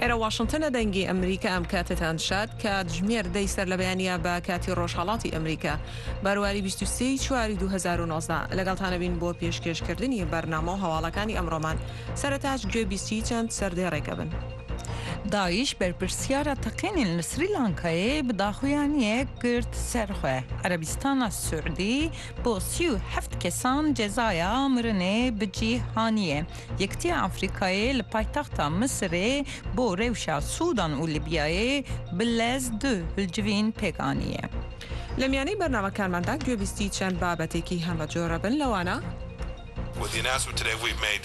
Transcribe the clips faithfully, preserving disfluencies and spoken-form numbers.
ئێرە واشنگتنە، دەنگی ئەمریکا، ئەم کاتتان شاد. کاتژمێر دەی سەر لە بەیانە بە کاتی ڕۆژهەڵاتی ئەمریکا، بەرواری بیست و سێ ی چواری دوو هەزار و نۆزدە. لەگەڵتانە بین بۆ پێشکێشکردنی بەرنامە و هەواڵەکانی ئەمڕۆمان. سەرەتاش گوێبیستی چەند سەردێڕێکە بن. داعش بەرپرسیارە تەقینین لە سری لانکایێ بە داخویانیەک گرت سەرخۆ. عەرەبیستانە سعودی بۆ سی و هەفت کەسان جەزایا مرنێ بجی هانیە. یەکتیە ئەفریقایێ لە پایتەختە مسرێ بۆ رێوشە سوودان و لیبیایێ بلەز دو هلجوین پێکانیە. لە میانەی بەرنامەکانماندا گوێبیستی چەند بابەتێکی هەمە جۆرە بن، لەوانە With the announcement today, we've made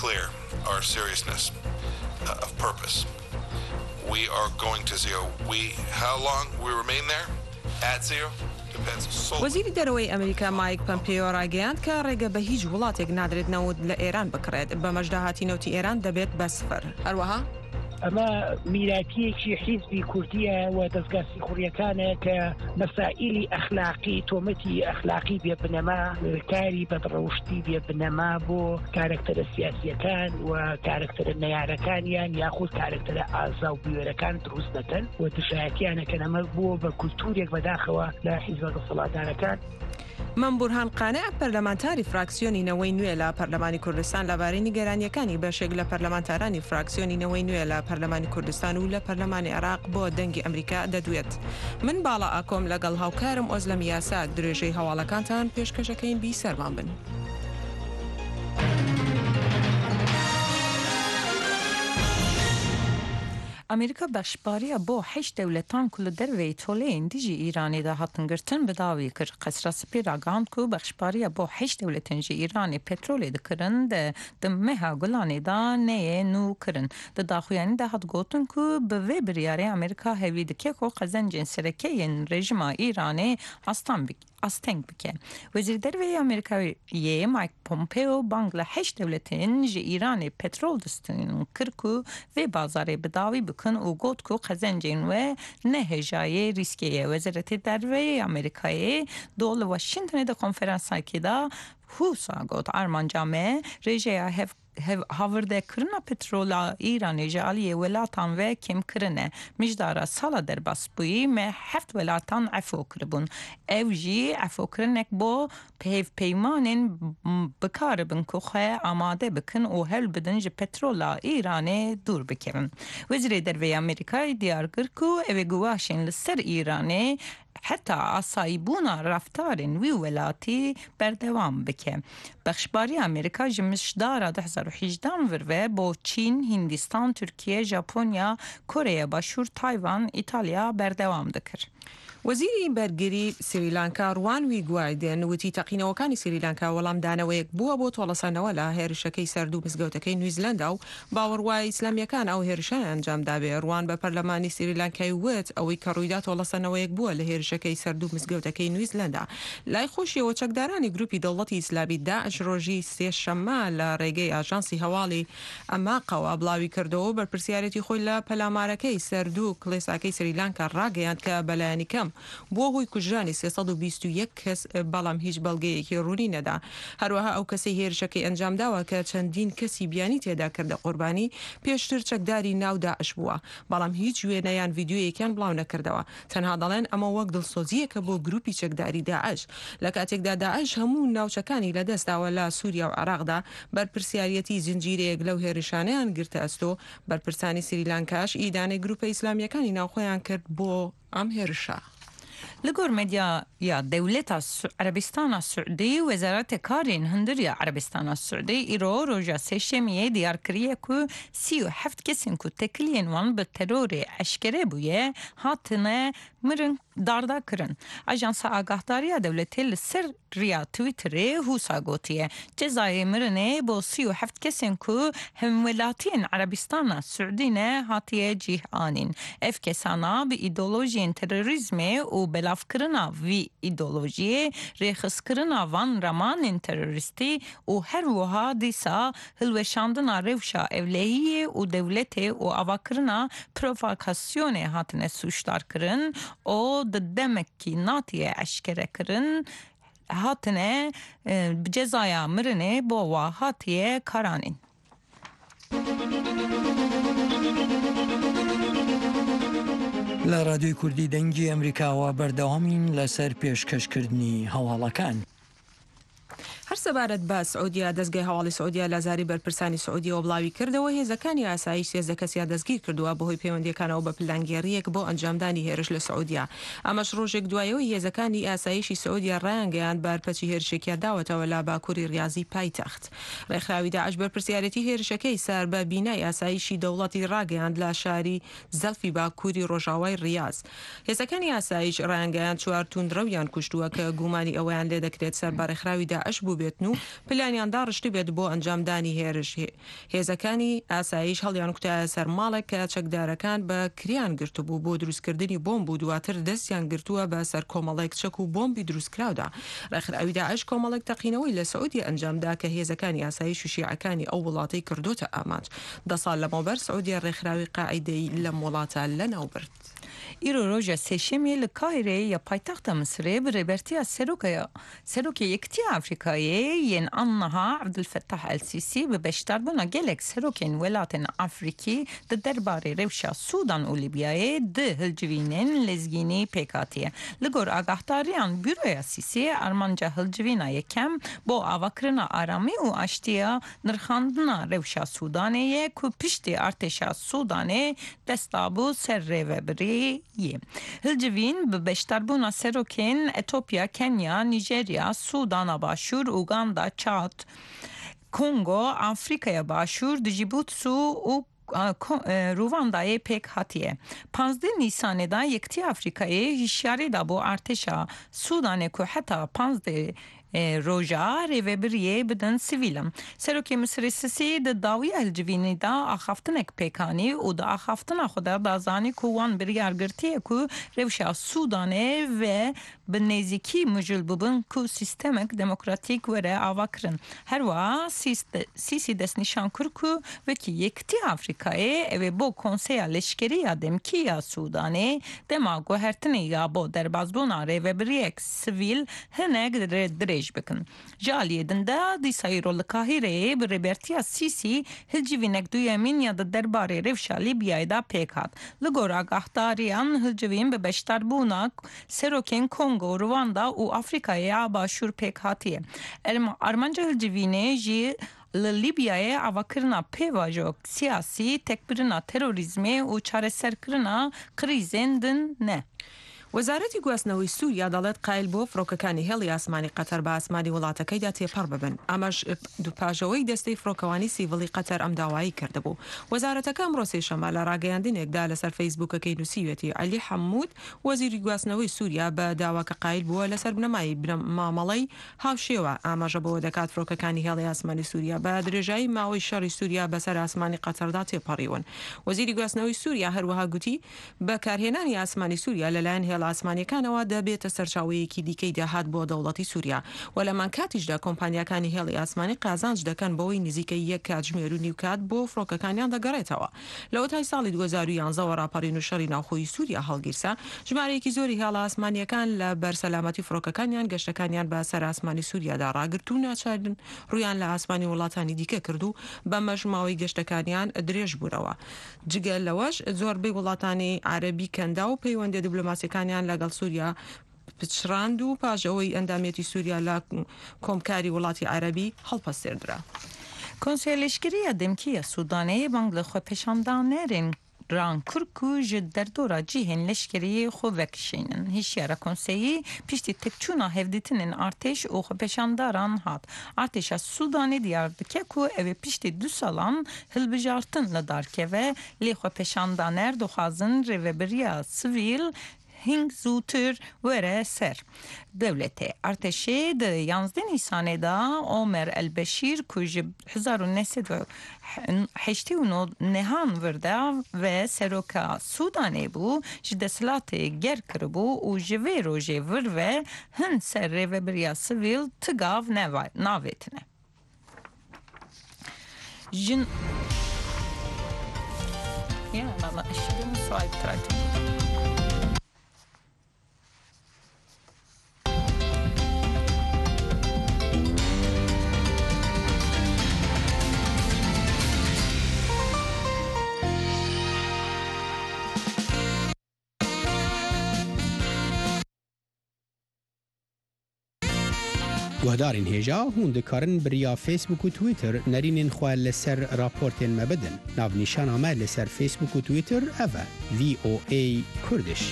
clear our seriousness uh, of purpose. We are going to zero. We, how long we remain there, at zero, depends solely. وەزیری دەرەوەی ئەمریکا مایک پەمپێۆ ڕاگەیاند کە ڕێگە بە هیچ وڵاتێک نادرێت نەوت لە ئێران بکڕێت، بەمەش داهاتی نەوتی ئێران دەبێت بە سفر. هەروەها ئەمە میراتیەکی حیزبی کوردیە و دەستگا سیخوڕیەکانە کە مەسائلی ئەخلاقی، تۆمەتی ئەخلاقی بێ بنەما، کاری بەدڕەوشتی بێ بنەما بۆ کارەکتەرە سیاسیەکان و کارەکتەرە نەیارەکانیان یاخود کارەکتەرە ئازا و بوێرەکان دروست دەکەن و دژایەتیانەکەن. ئەمە بووە بە کولتورێک بەداخەوە لە حیزبە دەسەڵاتدارەکان. من بورهان قانع، پەرلەمانتاری فراکسیۆنی نەوەی نوێ لە پەرلەمانی کوردستان، لەبارەی نیگەرانیەکانی بەشێک لە پەرلەمانتارانی فراکسیۆنی نەوەی نوێ لە پەرلەمانی کوردستان و لە پەرلەمانی عێراق بۆ دەنگی ئەمریکا دەدوێت. من باڵا ئاکۆم لەگەڵ هاوکارم ئۆزلەم یاساک درێژەی هەواڵەکانتان پێشکەشەکەین، بیسەرمان بن. ئەمریکا بەخشباریە بۆ هەشت دەولەتان کو لە دەرەوەی تۆلەیین دژی ئیرانێ دا هاتن گرتن بە داوی کرد. قەسرە سپی راگەاند کو بەخشباریە بۆ هەشت دەولەتین جی ئیرانێ پەترۆلێ دکرن دە دە مەها گولانێ دا نەیە نو کرن. دە داخویانی دا هات گوتن کو بە وێ بریارێ ئەمریکا هەوی دکێ کو قەزەنجێن سەرەکەیین ڕێژیما ئیرانێ ئاستان بک ئاستەنگ بکە. وەزیر دەرەوەی ئەمریکایێ مایک پۆمپێۆ بانگ لە هەشت دەولەتێن ژە ئیرانێ پەترۆل دستین کرد کو وێ بازارێ بە داوی بکن و گوت کو قەزەنجێن وە نە هێژایێ ریسکێ یە. وەزارەتێ دەرەوەی ئەمریکایێ دۆ لە واشینتنێ دە کۆنفرانساکێ دا هوسا گوت ئارمانجا مە رێژەیە هەف هاوردەکردنا پترۆلا ئیرانێ ji aliyê welatan ve kêmkirin e. Mijdara sala derbasbûyî me heft welatan efo kiribûn. Ew jî efokirinek bo hevpeymanên bikaribin ku xwe amade bikin û hewl bidin ji petrola Îranê dûr bikevin. Wezîrê Derve yê Amerîkayê diyar kir ku ew ê guvaşên li ser Îranê heta asayîbûna reftarên wî welatî berdewam bike. Bexşbariya Amerîka ji mijdara du hezar û hejdehan vir ve bo Çîn, Hindistan, Tirkiye, Japonya, Koreya Başûr, Tayvan, Îtalya berdewam dikir. وەزیری بەرگری سریلانکا ڕوان ویگوایدن وتی تەقینەوەکانی سریلانکا وەڵامدانەوەیەک بووە بۆ تۆڵەسەندنەوە لە هێرشەکەی سەر دوو مزگەوتەکەی نیوزیلەندا و باوەڕوایە ئیسلامیەکان ئەو هێرشانە ئەنجام دابێ. ڕوان بە پەرلەمانی سریلانکای وت ئەوەی کە ڕوویدا تۆڵەسەندنەوەیەک بووە لە هێرشەکەی سەر دوو مزگەوتەکەی نیوزیلەندا. لای خۆشیەوە چەکدارانی گروپی دەوڵەتی ئیسلامی داعش ڕۆژی سێشەممە لە ڕێگەی ئاژانسی هەواڵی ئەماقەوە بڵاوی کردەوە و بەرپرسیارەتی خۆی لە پەلامارەکەی سەر دوو کڵێساکەی سریلانکا ڕاگەیاند کە بەلایەنی کەم بووە هۆی کوژرانی سێ سەد و بیست و یەک کەس، بەڵام هیچ بەڵگەیەکی ڕوونی نەدا. هەروەها ئەو کەسەی هێرشەکەی ئەنجام داوە کە چەندین کەسی بیانی تێدا کردە قوربانی، پێشتر چەکداری ناو داعش بووە، بەڵام هیچ وێنە یان ڤیدیۆیەکیان بڵاو نەکردەوە. تەنها دەڵێن ئەمە وەک دڵسۆزییەکە بۆ گروپی چەکداری داعش. لە کاتێکدا داعش هەموو ناوچەکانی لەدەستداوە لە سووریا و عێراقدا، بەرپرسیاریەتی زنجیرەیەک لەو هێرشانەیان گرتە ئەستۆ. بەرپرسانی سریلانکاش ئیدانەی گروپە ئیسلامیەکانی ناوخۆیان کرد بۆ ئەم هێرشە. Li gor medyaya dewleta Su- Erebistana Siûdî, Wezareta Karên Hundir ya Erebistana Siûdî îro roja Sêşemiyê diyar kiriye ku sî û heft kesên ku tekiliyên wan bi terorê eşkere bûye, hatine mirin darda kirin. Ajansa Agahdariya Dewletê li ser riya Twitterê hûsa gotiye, cezayê mirinê bo sî û heft kesên ku hemwelatiyên Erebistana Siûdî ne hatiye cih anîn. Ev kesana bi îdeolojiyên terorîzmê û belavkirina vî îdeolojiyê, rêxistkirina van ramanên terorîstî û her wiha dîsa hilweşandina rewşa ewlehiyê û dewletê û avakirina provokasyonê hatine sûcdar kirin û di demekî natiye eşkerekirin hatine, e, bi cezaya mirinê bo wa hatiye karanîn. لە ڕادیۆی کوردی دەنگی ئەمریکاوە بەردەوامین لەسەر پێشکەشکردنی هەواڵەکان. هەر سەبارەت بە سعودیا، دەستگای هەواڵی سعودیا لە زاری بەرپرسانی سعودیەوە بڵاوی کردەوە، هێزەکانی ئاسایش سێزدە کەسیان دەستگیر کردووە بەهۆی پەیوەندیەکانەوە بە پلانگێڕیەک بۆ ئەنجامدانی هێرش لە سعودیا. ئەمەش ڕۆژێک دوایەوەی هێزەکانی ئاسایشی سعودیا ڕایانگەیاند بارپەچی هێرشێکیان داوەتەوە لە باکووری ڕیازی پایتەخت. ڕێکخراوی داعش بەرپرسیارەتی هێرشەکەی سەر بە بینای ئاسایشی دەوڵەتی ڕاگەیاند لە شاری زەلفی باکووری ڕۆژاوای ڕیاز. هێزەکانی ئاسایش ڕایانگەیاند چوار توندڕەویان کوشتووە کە گومانی ئەوەیان لێ دەکرێت سەر بە ڕێکخراوی داعش بووبێتن و پلانیان داڕشتبێت بۆ ئەنجامدانی هێرش. هێ-، هێزەکانی ئاسایش هەڵیان کوتایە سەر ماڵێک کە چەکدارەکان بە کریان گرتبوو بۆ دروستکردنی بۆمب و دواتر دەستیان گرتووە بە سەر کۆمەڵێک چەک و بۆمبی دروستکراودا. ڕێکخراوی داعش کۆمەڵێک تەقینەوەی لە سعودیە ئەنجامدا کە هێزەکانی ئاسایش و شیعەکانی ئەو وڵاتەی کردوتە ئامانج. دە ساڵ لەمەوبەر سعودیە ڕێکخراوی قاعیدەی لەم وڵاتە لە ناوبرد. Îro roja sêşemê li Kahireyê ya paytexta Misirê bi rêbertiya serokeya, serokê Yekitiya Afrîkayê yên anniha Abdulfettah El Sîsî bi beşdarbûna gelek serokên welatên Afrîkî di derbarê rewşa Sûdan û Lîbyayê di hilcivînên lezgînî pêk hatiye. Li gor agahdariyan Buroya Sîsî, armanca hilcivîna yekem bo avakirina aramî û aştiya nirxandina rewşa Sûdanê ye ku piştî artêşa Sûdanê dest dabû ser rêvebiriyê. Hilcivîn bi beşdarbûna serokên Etopya, Kenya, Nîjerya, Sûdana Başûr, Uganda, Çad, Kongo, Afrîkaya Başûr, Dijîbûtsû û, a, ko-, e, Rûvandayê pêk hatiye. Panzdeh Nîsanê de Yekitiya Afrîkayê hişyarî dabû artêşa Sûdanê ku heta panzdeh e, roja rêvebiriyê bidin sivîlan. Serokê Misirê Sisî di dawiya hilcivînî de axaftinek pêk anî û di axaftina xwe de da zanî ku wan biryar girtiye ku rewşa Sûdanê ve bi nêzîkî mijûl bibin ku sîstemek demokratîk were avakirin. Her wiha Sîs-, Sîsî destnîşan kir ku wekî Yekitiya Afrîkayê ew ê bo Konseya Leşkerî ya Demkî ya Sûdanê dema guhertinê ya bo derbasbûna rêvebiriyek sivîl hinek dire-, dirêj bikin. Ji aliyê din de dîsa îro li Kahîreyê bi rêbertiya Sîsî hilcivînek duyemîn ya di derbarê rewşa Lîbyayê de pêk hat. Li gor agahdariyan hilcivîn bi beşdarbûna serokên Kongo, Rwanda û Afrîkayê ya Başûr pêk hatiye. Erm-, armanca hilcivînê jî li Lîbyayê avakirina pêvajo siyasî, tekbirina terorîzmê û çareserkirina krîzên din ne. وەزارەتی گواستنەوەی سووریا دەڵێت قایلبووە فڕۆکەکانی هێڵی ئاسمانی قەتەر بە ئاسمانی وڵاتەکەیدا تێپەڕ ببن. ئەمەش دوو پاژەوەی دەستەی فڕۆکەوانی سیڤڵی قەتەر ئەم داوایی کردبوو. وەزارەتەکە ئەمڕۆ سێشەممە لە ڕاگەیاندنێکدا لەسەر فەیسبووکەکەی نووسیوێتی عەلی حەموود، وەزیری گواستنەوەی سووریا بە داواکە قایلبووە لەسەر بنەمای بنە-، مامەڵەی هاوشێوە. ئاماژە بەوە دەکات فڕۆکەکانی هێڵی ئاسمانی سووریا بە درێژایی ماوەی شەڕی سووریا بەسەر ئاسمانی قەتەردا تێپەڕیون. وەزیری گواستنەوەی سووریا هەروەها گوتی، بەکارهێنانی ئاسمانی سووریا لەلایەن هێڵە ئاسمانیەکانەوە دەبێتە سەرچاوەیەکی دیکەی داهات بۆ دەوڵەتی سووریا و لەمان کاتیشدا کۆمپانیاکانی هێڵی ئاسمانی قازانج دەکەن بەوەی نزیکەی یەک کاتژمێر و نیو کات بۆ فڕۆکەکانیان دەگەڕێتەوە. لە وەتای ساڵی دوو هەزار و یانزە وە ڕاپەڕین و شەڕی ناوخۆی سووریا هەڵگیرسا، ژمارەیەکی زۆری هێڵە ئاسمانیەکان لە بەر سەلامەتی فڕۆکەکانیان گەشتەکانیان بە سەر ئاسمانی سووریادا ڕاگرت و ناچارن ڕوویان لە ئاسمانی وڵاتانی دیکە کرد و بەمەش ماوەی گەشتەکانیان درێژ بوونەوە. جگە لەوەش زۆربەی وڵاتانی عەرەبی کەندا و پەیوەندیە دیبلۆماسیەکانیان لەگەڵ سووریا پچڕاند و پاش ئەوەی ئەندامێتی سووریا لە کۆمکاری وڵاتی عەرەبی هەڵپەسێردرا. Konseya Leşkerî ya Demkî ya Sûdanê bang li xwepêşandanerên ran kir ku ji derdora cihên leşkerî xwe vekişînin. Hişyara konseyî piştî têkçûna hevdîtinên artêş û xwepêşandaran hat. Artêşa Sûdanê diyar dike ku ew ê piştî du salan hilbijartin li dar keve, lê xwepêşandaner dixwazin rêvebiriya sivîl hîn zûtir were ser dewletê. Artêşê di yanzdeh Nîsanê de Omer El Beşîr ku ji hezar û neh sed û heştê û neh nehan vir de ve seroka Sûdanê bû, ji desthilatê ger kiribû û ji vê rojê vir ve hin ser rêvebiriya sivîl ti gav neva-, navêtine. Jin. Ya, valla, eşhedü musayip tradim. Guhdarên hêja, hûn dikarin bi riya Facebook û Twitter nerînên xwe li ser raportên me bidin. Navnîşana me li ser Facebook û Twitter ev e, V O A Kurdish.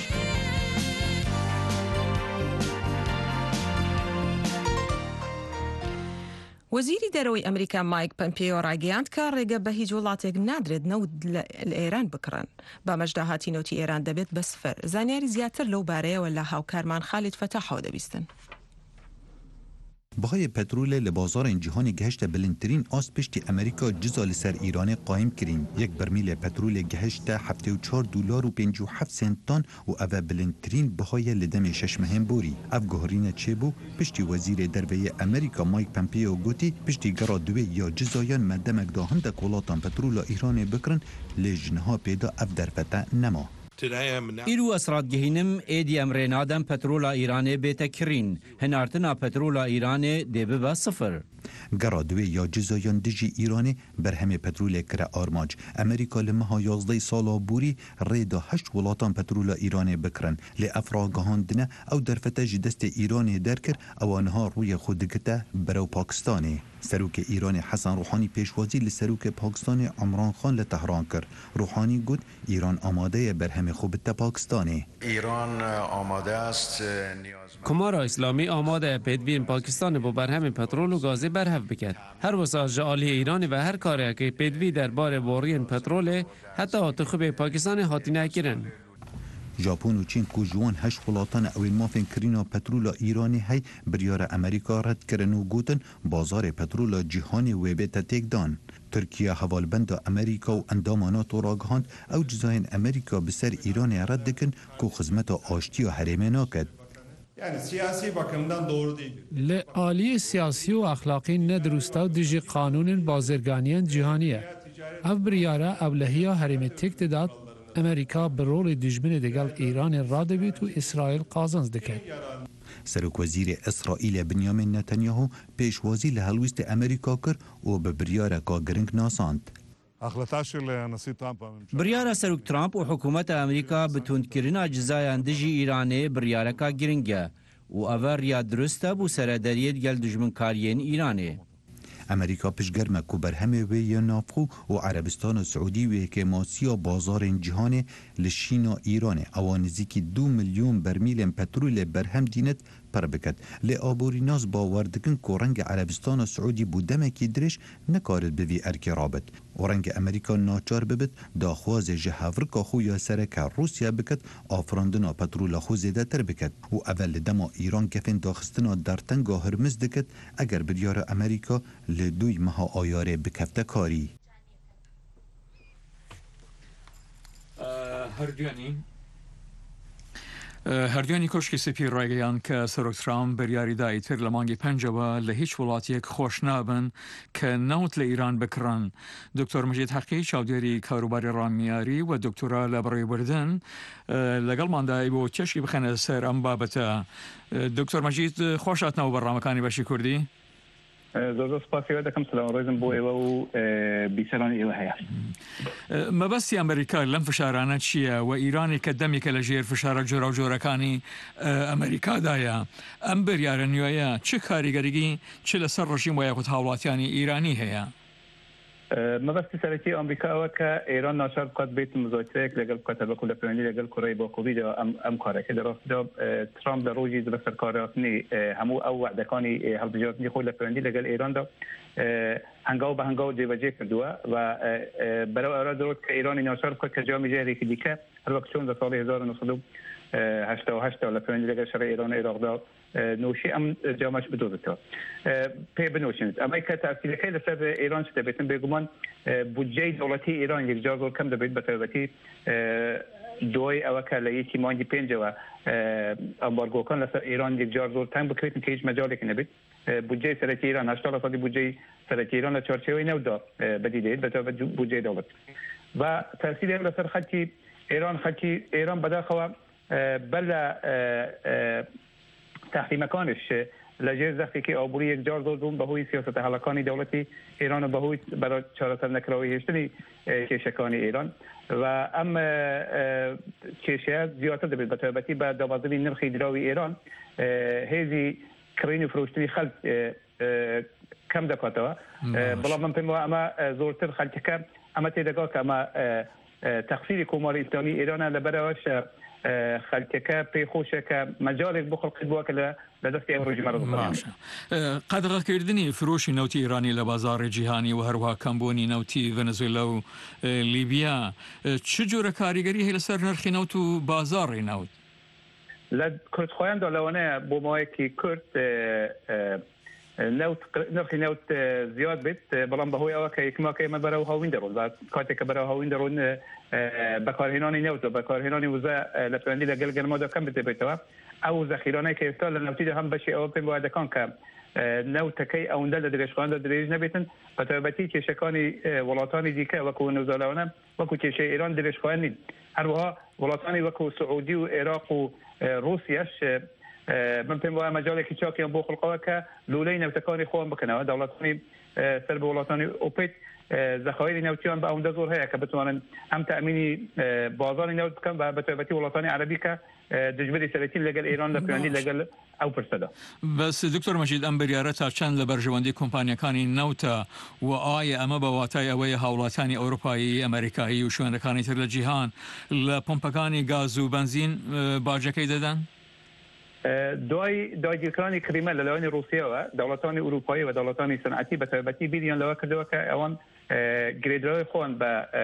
وەزیری دەرەوەی ئەمریکا مایک پەمپێۆ ڕایگەیاند کە ڕێگە بە هیچ وڵاتێک نادرێت نەوت لە لە ئێران بکڕن. بە مەشدا هاتی نەوتی ئێران دەبێت بە سفر. زانیاری زیاتر لەو بارەیەوە لە هاوکارمان خالید فەتاحەوە دەبیستن. Bihayê petrolê li bazarên cîhanê gihişte bilindtirîn ast piştî Amerîka ciza li ser Îranê qayîm kirîn. Yek bermîlê petrolê gihişte heftê û çar dolar û pêncî û heft sentan û ev e bilindtirîn biha ye li demê şeş mehên borî. Ev guherîne çêbû piştî Wezîrê Derve yê Amerîka Mike Pompeo gotî, piştî gera duwê ya cizayan me demek da hindek welatan petrola Îranê bikirin, lê ji niha pê de ev derfete nema. Îro ez radgihînim, êdî em rê nadem petrola Îranê bête kirîn. Hinartina petrola Îranê dê bibe sifir. Gera duwê ya cizayan dijî Îranê berhemê petrolê kire armanc. Amerîka li meha yazdehê sala borî rê da heşt welatan petrola Îranê bikirin. Lê ev ragihandine ew derfete ji destê Îranê derkir, ewa niha rûyê xwe digite berew Pakistanê. Serokê Îranê Hesen Ruhanî pêşwazî li Serokê Pakistanê Imran Xan li Tehran kir. Ruhanî got, Îran amade ye berhemê xwe bidte Pakistanê. ایران آماده است نیازمند Komara Îslamî amade ye pêdiviyên Pakistanê bo berhemên petrol û gazê berhev biket. Her wisa ji aliyê Îranê ve her kareke pêdivî derbarê boriyên petrolê heta hatixubê Pakistanê hatine kirin. Japon û Çîn ku ji wan heşt welatane ew ên mafên kirîna petrola Îranê hey biryara Amerîka red kirin û gotin, bazarê petrola cîhanê wê bête têkdan. Tirkiye hevalbenda Amerîka û endama NATO ragihand, ew cizayên Amerîka bi ser Îranê red dikin ku xizmeta aştiya herêmê naket. Yani siyasi bakımdan doğru değildir. Li aliyê siyasî û exlaqî ne dirust e û dijî qanûnên bazirganiyên cîhanî ye. Ev biryare ewlehiya herêmê têk didat, Amerîka bi rolê dijminê digel Îranê radibît û Îsraîl qazanc diket. Serokwezîrê Îsraîlê Binyamin Netanyahu pêşwazî li helwîstê Amerîka kir û bi biryareka giring nasand. Biryara Serok Trump û hikûmeta Amerîka bi tundkirina cizayan dijî Îranê biryareka giring e û ev e riya dirust e bo seredariyê digel dijminkariyên Îranê. Amerîka piştgerme ku berhemê wê yê navxwe û Erebistana Siûdî wê kêmasiya bazarên cîhanê li şîna Îranê, ewa nizîkî du milyon bermîlên petrolê berhem dînit, pir biket. Lê aborînas bawer dikin ku rengê Erebistana Siûdî bo demekî dirêj nekarit bi vî erkê rabit û rengê Amerîka naçar bibit daxwazê ji hevrika xwe ya sereke Rûsya biket, afirandina petrola xwe zêdetir biket û ev e li dema Îran gefên daxistina dertenga Hurmiz dikit, eger biryara Amerîka li duyê meha Ayarê bikefte karî. Herduyanî. Herduyanî Koşkê Spî raygeyan ke Serok Trump biryarî da îtir li mangê pencê ve li hîç welatiyek xweş nabin ke newt li Îran bikirin. Doktor Mecîd Heqî, çavdêrî karûbarê ramiyarî we doktora li birêvbirdin, e, legelman da îbo çeşkî bixene ser em babete. E, Doktor Mecîd, xweş hatina bo bernamekanî Beşî Kurdî. Zor zor spasî we dikim, silav û rêzim bo êwe û, e, bîseranê êwe heye. E, mebestî Amerîka lem fişarane çi ye? We Îranê ke demê ke li jêr fişara cora û corekanî, e, Amerîka de ye. Em biryare nûye çi karîgerî çi li ser rejîm we ya xwe hawlatiyanî Îranî heye? E, mebestî serekî Amerîka ew e ke Îran naçar bikat bêt muzakereyek legel bikat, hebe ku li peywendî legel Koreyê Bakurî de em, em kareke. Di rastî de, e, Trump li rojî di serkarhatinê, e, hemû ew we'dekanî, e, hilbijartinî xwe li peywendî legel Îran de, e, hengaw bi hengaw cêbecê kirdiwe ve, e, e, berew ew re dirot ke Îranê naçar bikat ke camî jehrêkî dîke, her wek çond di salê hezar û neh sed û heştê û heşt de li peywendî legel şerê Îran û Iraq de, e, noşî em, e, camaş bidozitî. E, pê binoşînit. Em ê ke tesîreke li ser Îran çi tê bêtin, bêguman, e, budceyê dewletî Îran yek car zor kem dibêt, bi taybetî, e, doyê ew ke li yekî mangî pêncê ve, e, ambargokan li ser Îran yek car zor teng bikevîtin, ke hîç mecalekî nebêt. E, budceyê serekî Îran, heştê fesadî budceyê serekî Îran li çarçeveyê new da, e, bedî dê, bi taybet budceyê dewlet. Ve tesîrê ew li ser xelkî Îran, xelkî Îran bedaxewa, e, bela, e, e, tehrîmekanê ji li jêr zextêkê aborî yek car zor bûn, bi hoyî siyaseta helakanî dewletî Îran û bi hoyî bera çareser nekira wê hêştinî, e, kêşekanî Îran. Ve em, e, e, kêşeya ziyartir dibêt, bi taybetî bi dabezinî nirxî dirawî Îran, e, hêzî kirîn û firoştinî xelk, e, e, kem dekatewe. E, Baş. Bela min pê wayê ema, e, zortir xelkeke ema têdega ke ema, e, e, texsîrî Komarê Îslamî Îran e, li bera we şe, e, xelkeke pê xweş e ke mecalek bo xelkê bo ke li, li destê ew rejîme re bixwe. Baş. E, qedexekirdinî firoşî newtê Îranî li bazarê cîhanî û her wiha kembûnî newtî Venezuela û, e, Lîbya, e, çi cure karîgerî heye li ser nirxê newt û bazarê newt? Li Kurdxweyan de lewane bo mawekî Kurd, e, e, newt, nirxî newt, e, ziyad bêt, e, belam behoy ew ke yekmake me berew hawîn de ron. Ve katê ke berew hawîn de ron, e, e, bekarhênanî newt û bekarhênanî wize, e, li peyndî de gel gel ma de kem bide bêtewe. Ew zexîraneyê ke êsta li newtî de hem beşê ew pê wayê dekan ke, e, newtekey ewinde li dirêjxayan de dirêj nebêtin. Bi taybetî kêşekanî, e, welatanî dîke wekû Venezuela wane, wekû kêşeyê Îran dirêjxayan nîn. Her wiha welatanî wekû Siûdî û Iraq û, e, Rûsya ji, e, min pê wayê mecalekî çakiyan bo xulqewe ke lûleyî newtekanî xwe wan bikine. Dewletanî, e, ser bi welatanî OPEC, e, zexayirî newtiyan bi ewinde zor heye ke bitwanin hem temînî, e, bazarî newt bikin ve bi taybetî welatanî erebî ke, e, dijberî serekî legel Îran de peyndî Baş. Legel ew pirse de. Bes, Doktor Mecîd, em biryare ta çend li berjewendî kompanyekanî newta û ayê eme bi watayê ewe ye hawlatanî Ewropayî, Amerîkayî û şwêndekanî tir li cîhan li pompekanî gaz û benzîn, e, bacekey deden? E, duayî dagirkiranî klîme li lawenî Rûsya ve, dewletanî Ewropayî ve dewletanî senetî bi taybetî bîriyan li we kirdewe ke ewan, e, girêdirawê xwe wan bi, e,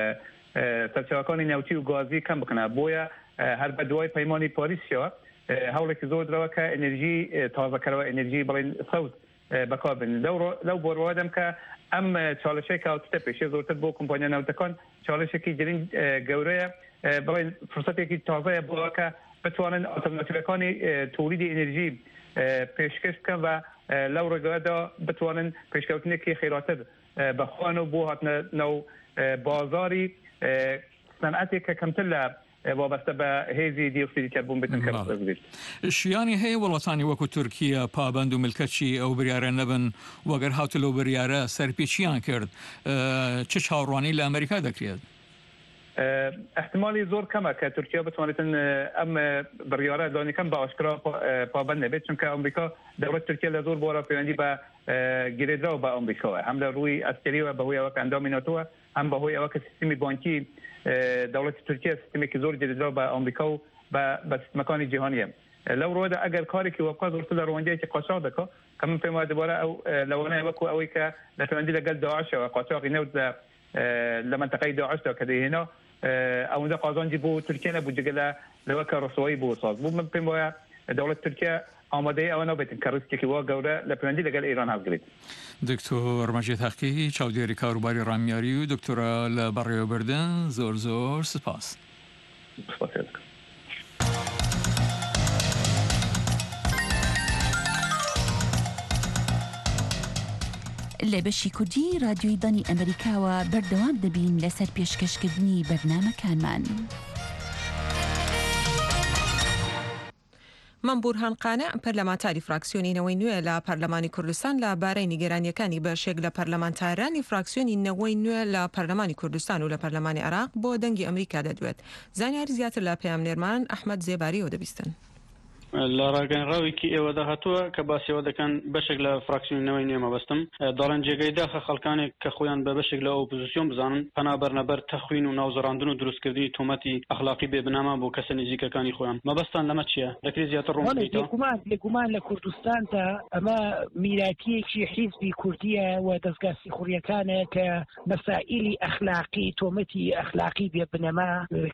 e, serçavekanî newtî û gazî kem bikine. Boye, e, her bi duayî peymanî Parîsya, e, hewlekî zor dirawe ke enerjî, e, tazekerewe, enerjî belê sewz, e, bekar bin. Lew ro-, lew bor we dem ke em, e, çalişeke ew tişte pêşê zortir bo kompanya newtekan çalişekî girîng, e, gewre ye. E, belê firsetekî taze ye bo ke bitwanin alternatîvekanî, e, tolîdê enerjî, e, pêşkeş bikin ve, e, lew rêgaya de bitwanin pêşkewtinekî xêratir, e, bi xwe û bo hatine nav, e, bazarî, e, senetê ke kemtir li, e, wabeste bi hêzî dioksîdî karbon bêtin Bale. Karbon. Şiyanî heye welatanî wekû Tirkiye pabend û milketçî ew biryare nebin, weger hatiye ew biryare serpêçiyan kir. E, çi çawanî li Amerîka dekiriye? E, ihtimalî zor kem e ke Tirkiye bitwanîtin, e, em, e, biryare danî kem bi aşkera pa-, e, pabend nebêt. Çunke Amerîka, dewlet Tirkiye li zor bora peywendî bi, e, girêdra û bi Amerîka we. Hem li rûyî eskerî we bi hoya weke endamî NATO we, hem bi hoya weke sîstemî bankî, e, dewleta Tirkiye sîstemekî zor girêdra bi Amerîka û bi, bi sîstemekanî cîhanî ye. E, lew rûyê de eger karekî webka zortir li rewandiyekî qaçax dika, ke min pê wayê dubare ew, e, lewane wekû ew ê ke li pêwendî li gel DAIŞ e, qaçaxî newt li, e, li menteqeyê DAIŞ de ke dihêna, e, ewinde qazancî bo Tirkiye nebû, cigele li weke riswayî bo saz bû. Min pê wayê dewlet Tirkiye amadeyî ewe nabêtin ke rîskekî wa gewre li pêwendî li gel Îran hevgirêt. Doktor Mecîd Heqî, çavdêrî karûbarî ramyarî û doktora li berêwebirdan, zor zor spas. Spasiya dikim. لە بەشی کوردی رادیۆی دانی ئەمریکاوە بەردەوام دەبین لەسەر پێشکەشکردنی بەرنامەکانمان. مەم بورهان قانع، پەرلەمانتاری فراکسیۆنی نەوەی نوێ لە پەرلەمانی کوردستان، لە بارەی نیگەرانیەکانی بەشێک لە پەرلەمانتارانی فراکسیۆنی نەوەی نوێ لە پەرلەمانی کوردستان و لە پەرلەمانی عێراق بۆ دەنگی ئەمریکا دەدوێت. زانیاری زیاتر لە پەیامنێرمان ئەحمەد زێباریەوە دەبیستن. لە ڕاگەیەنراوێکی ئێوەدا هاتووە کە باسی ئەوە دەکەن بەشێک لە فراکسیۆنی نەوەی نوێ مەبەستم، دەڵێن جێگەی داخە خەڵکانێک کە خۆیان بە بەشێک لە ئۆپۆزیسیۆن بزانن، پەنا بەرنە بەر تەخوین و ناوزەڕاندن و دروستکردنی تۆمەتی ئەخلاقی بێبنەما بۆ کەسە نزیکەکانی خۆیان. مەبەستان لەمە چییە؟ دەکرێت زیاتر ڕوون بڵێ، بکەیتەوە؟ بێگومان، بێگومان لە کوردستاندا ئەمە میراتیەکی حیزبی کوردیە و دەستگا سیخوڕیەکانە کە مەسائیلی ئەخلاقی، تۆمەتی ئەخلاقی بێ بنەما،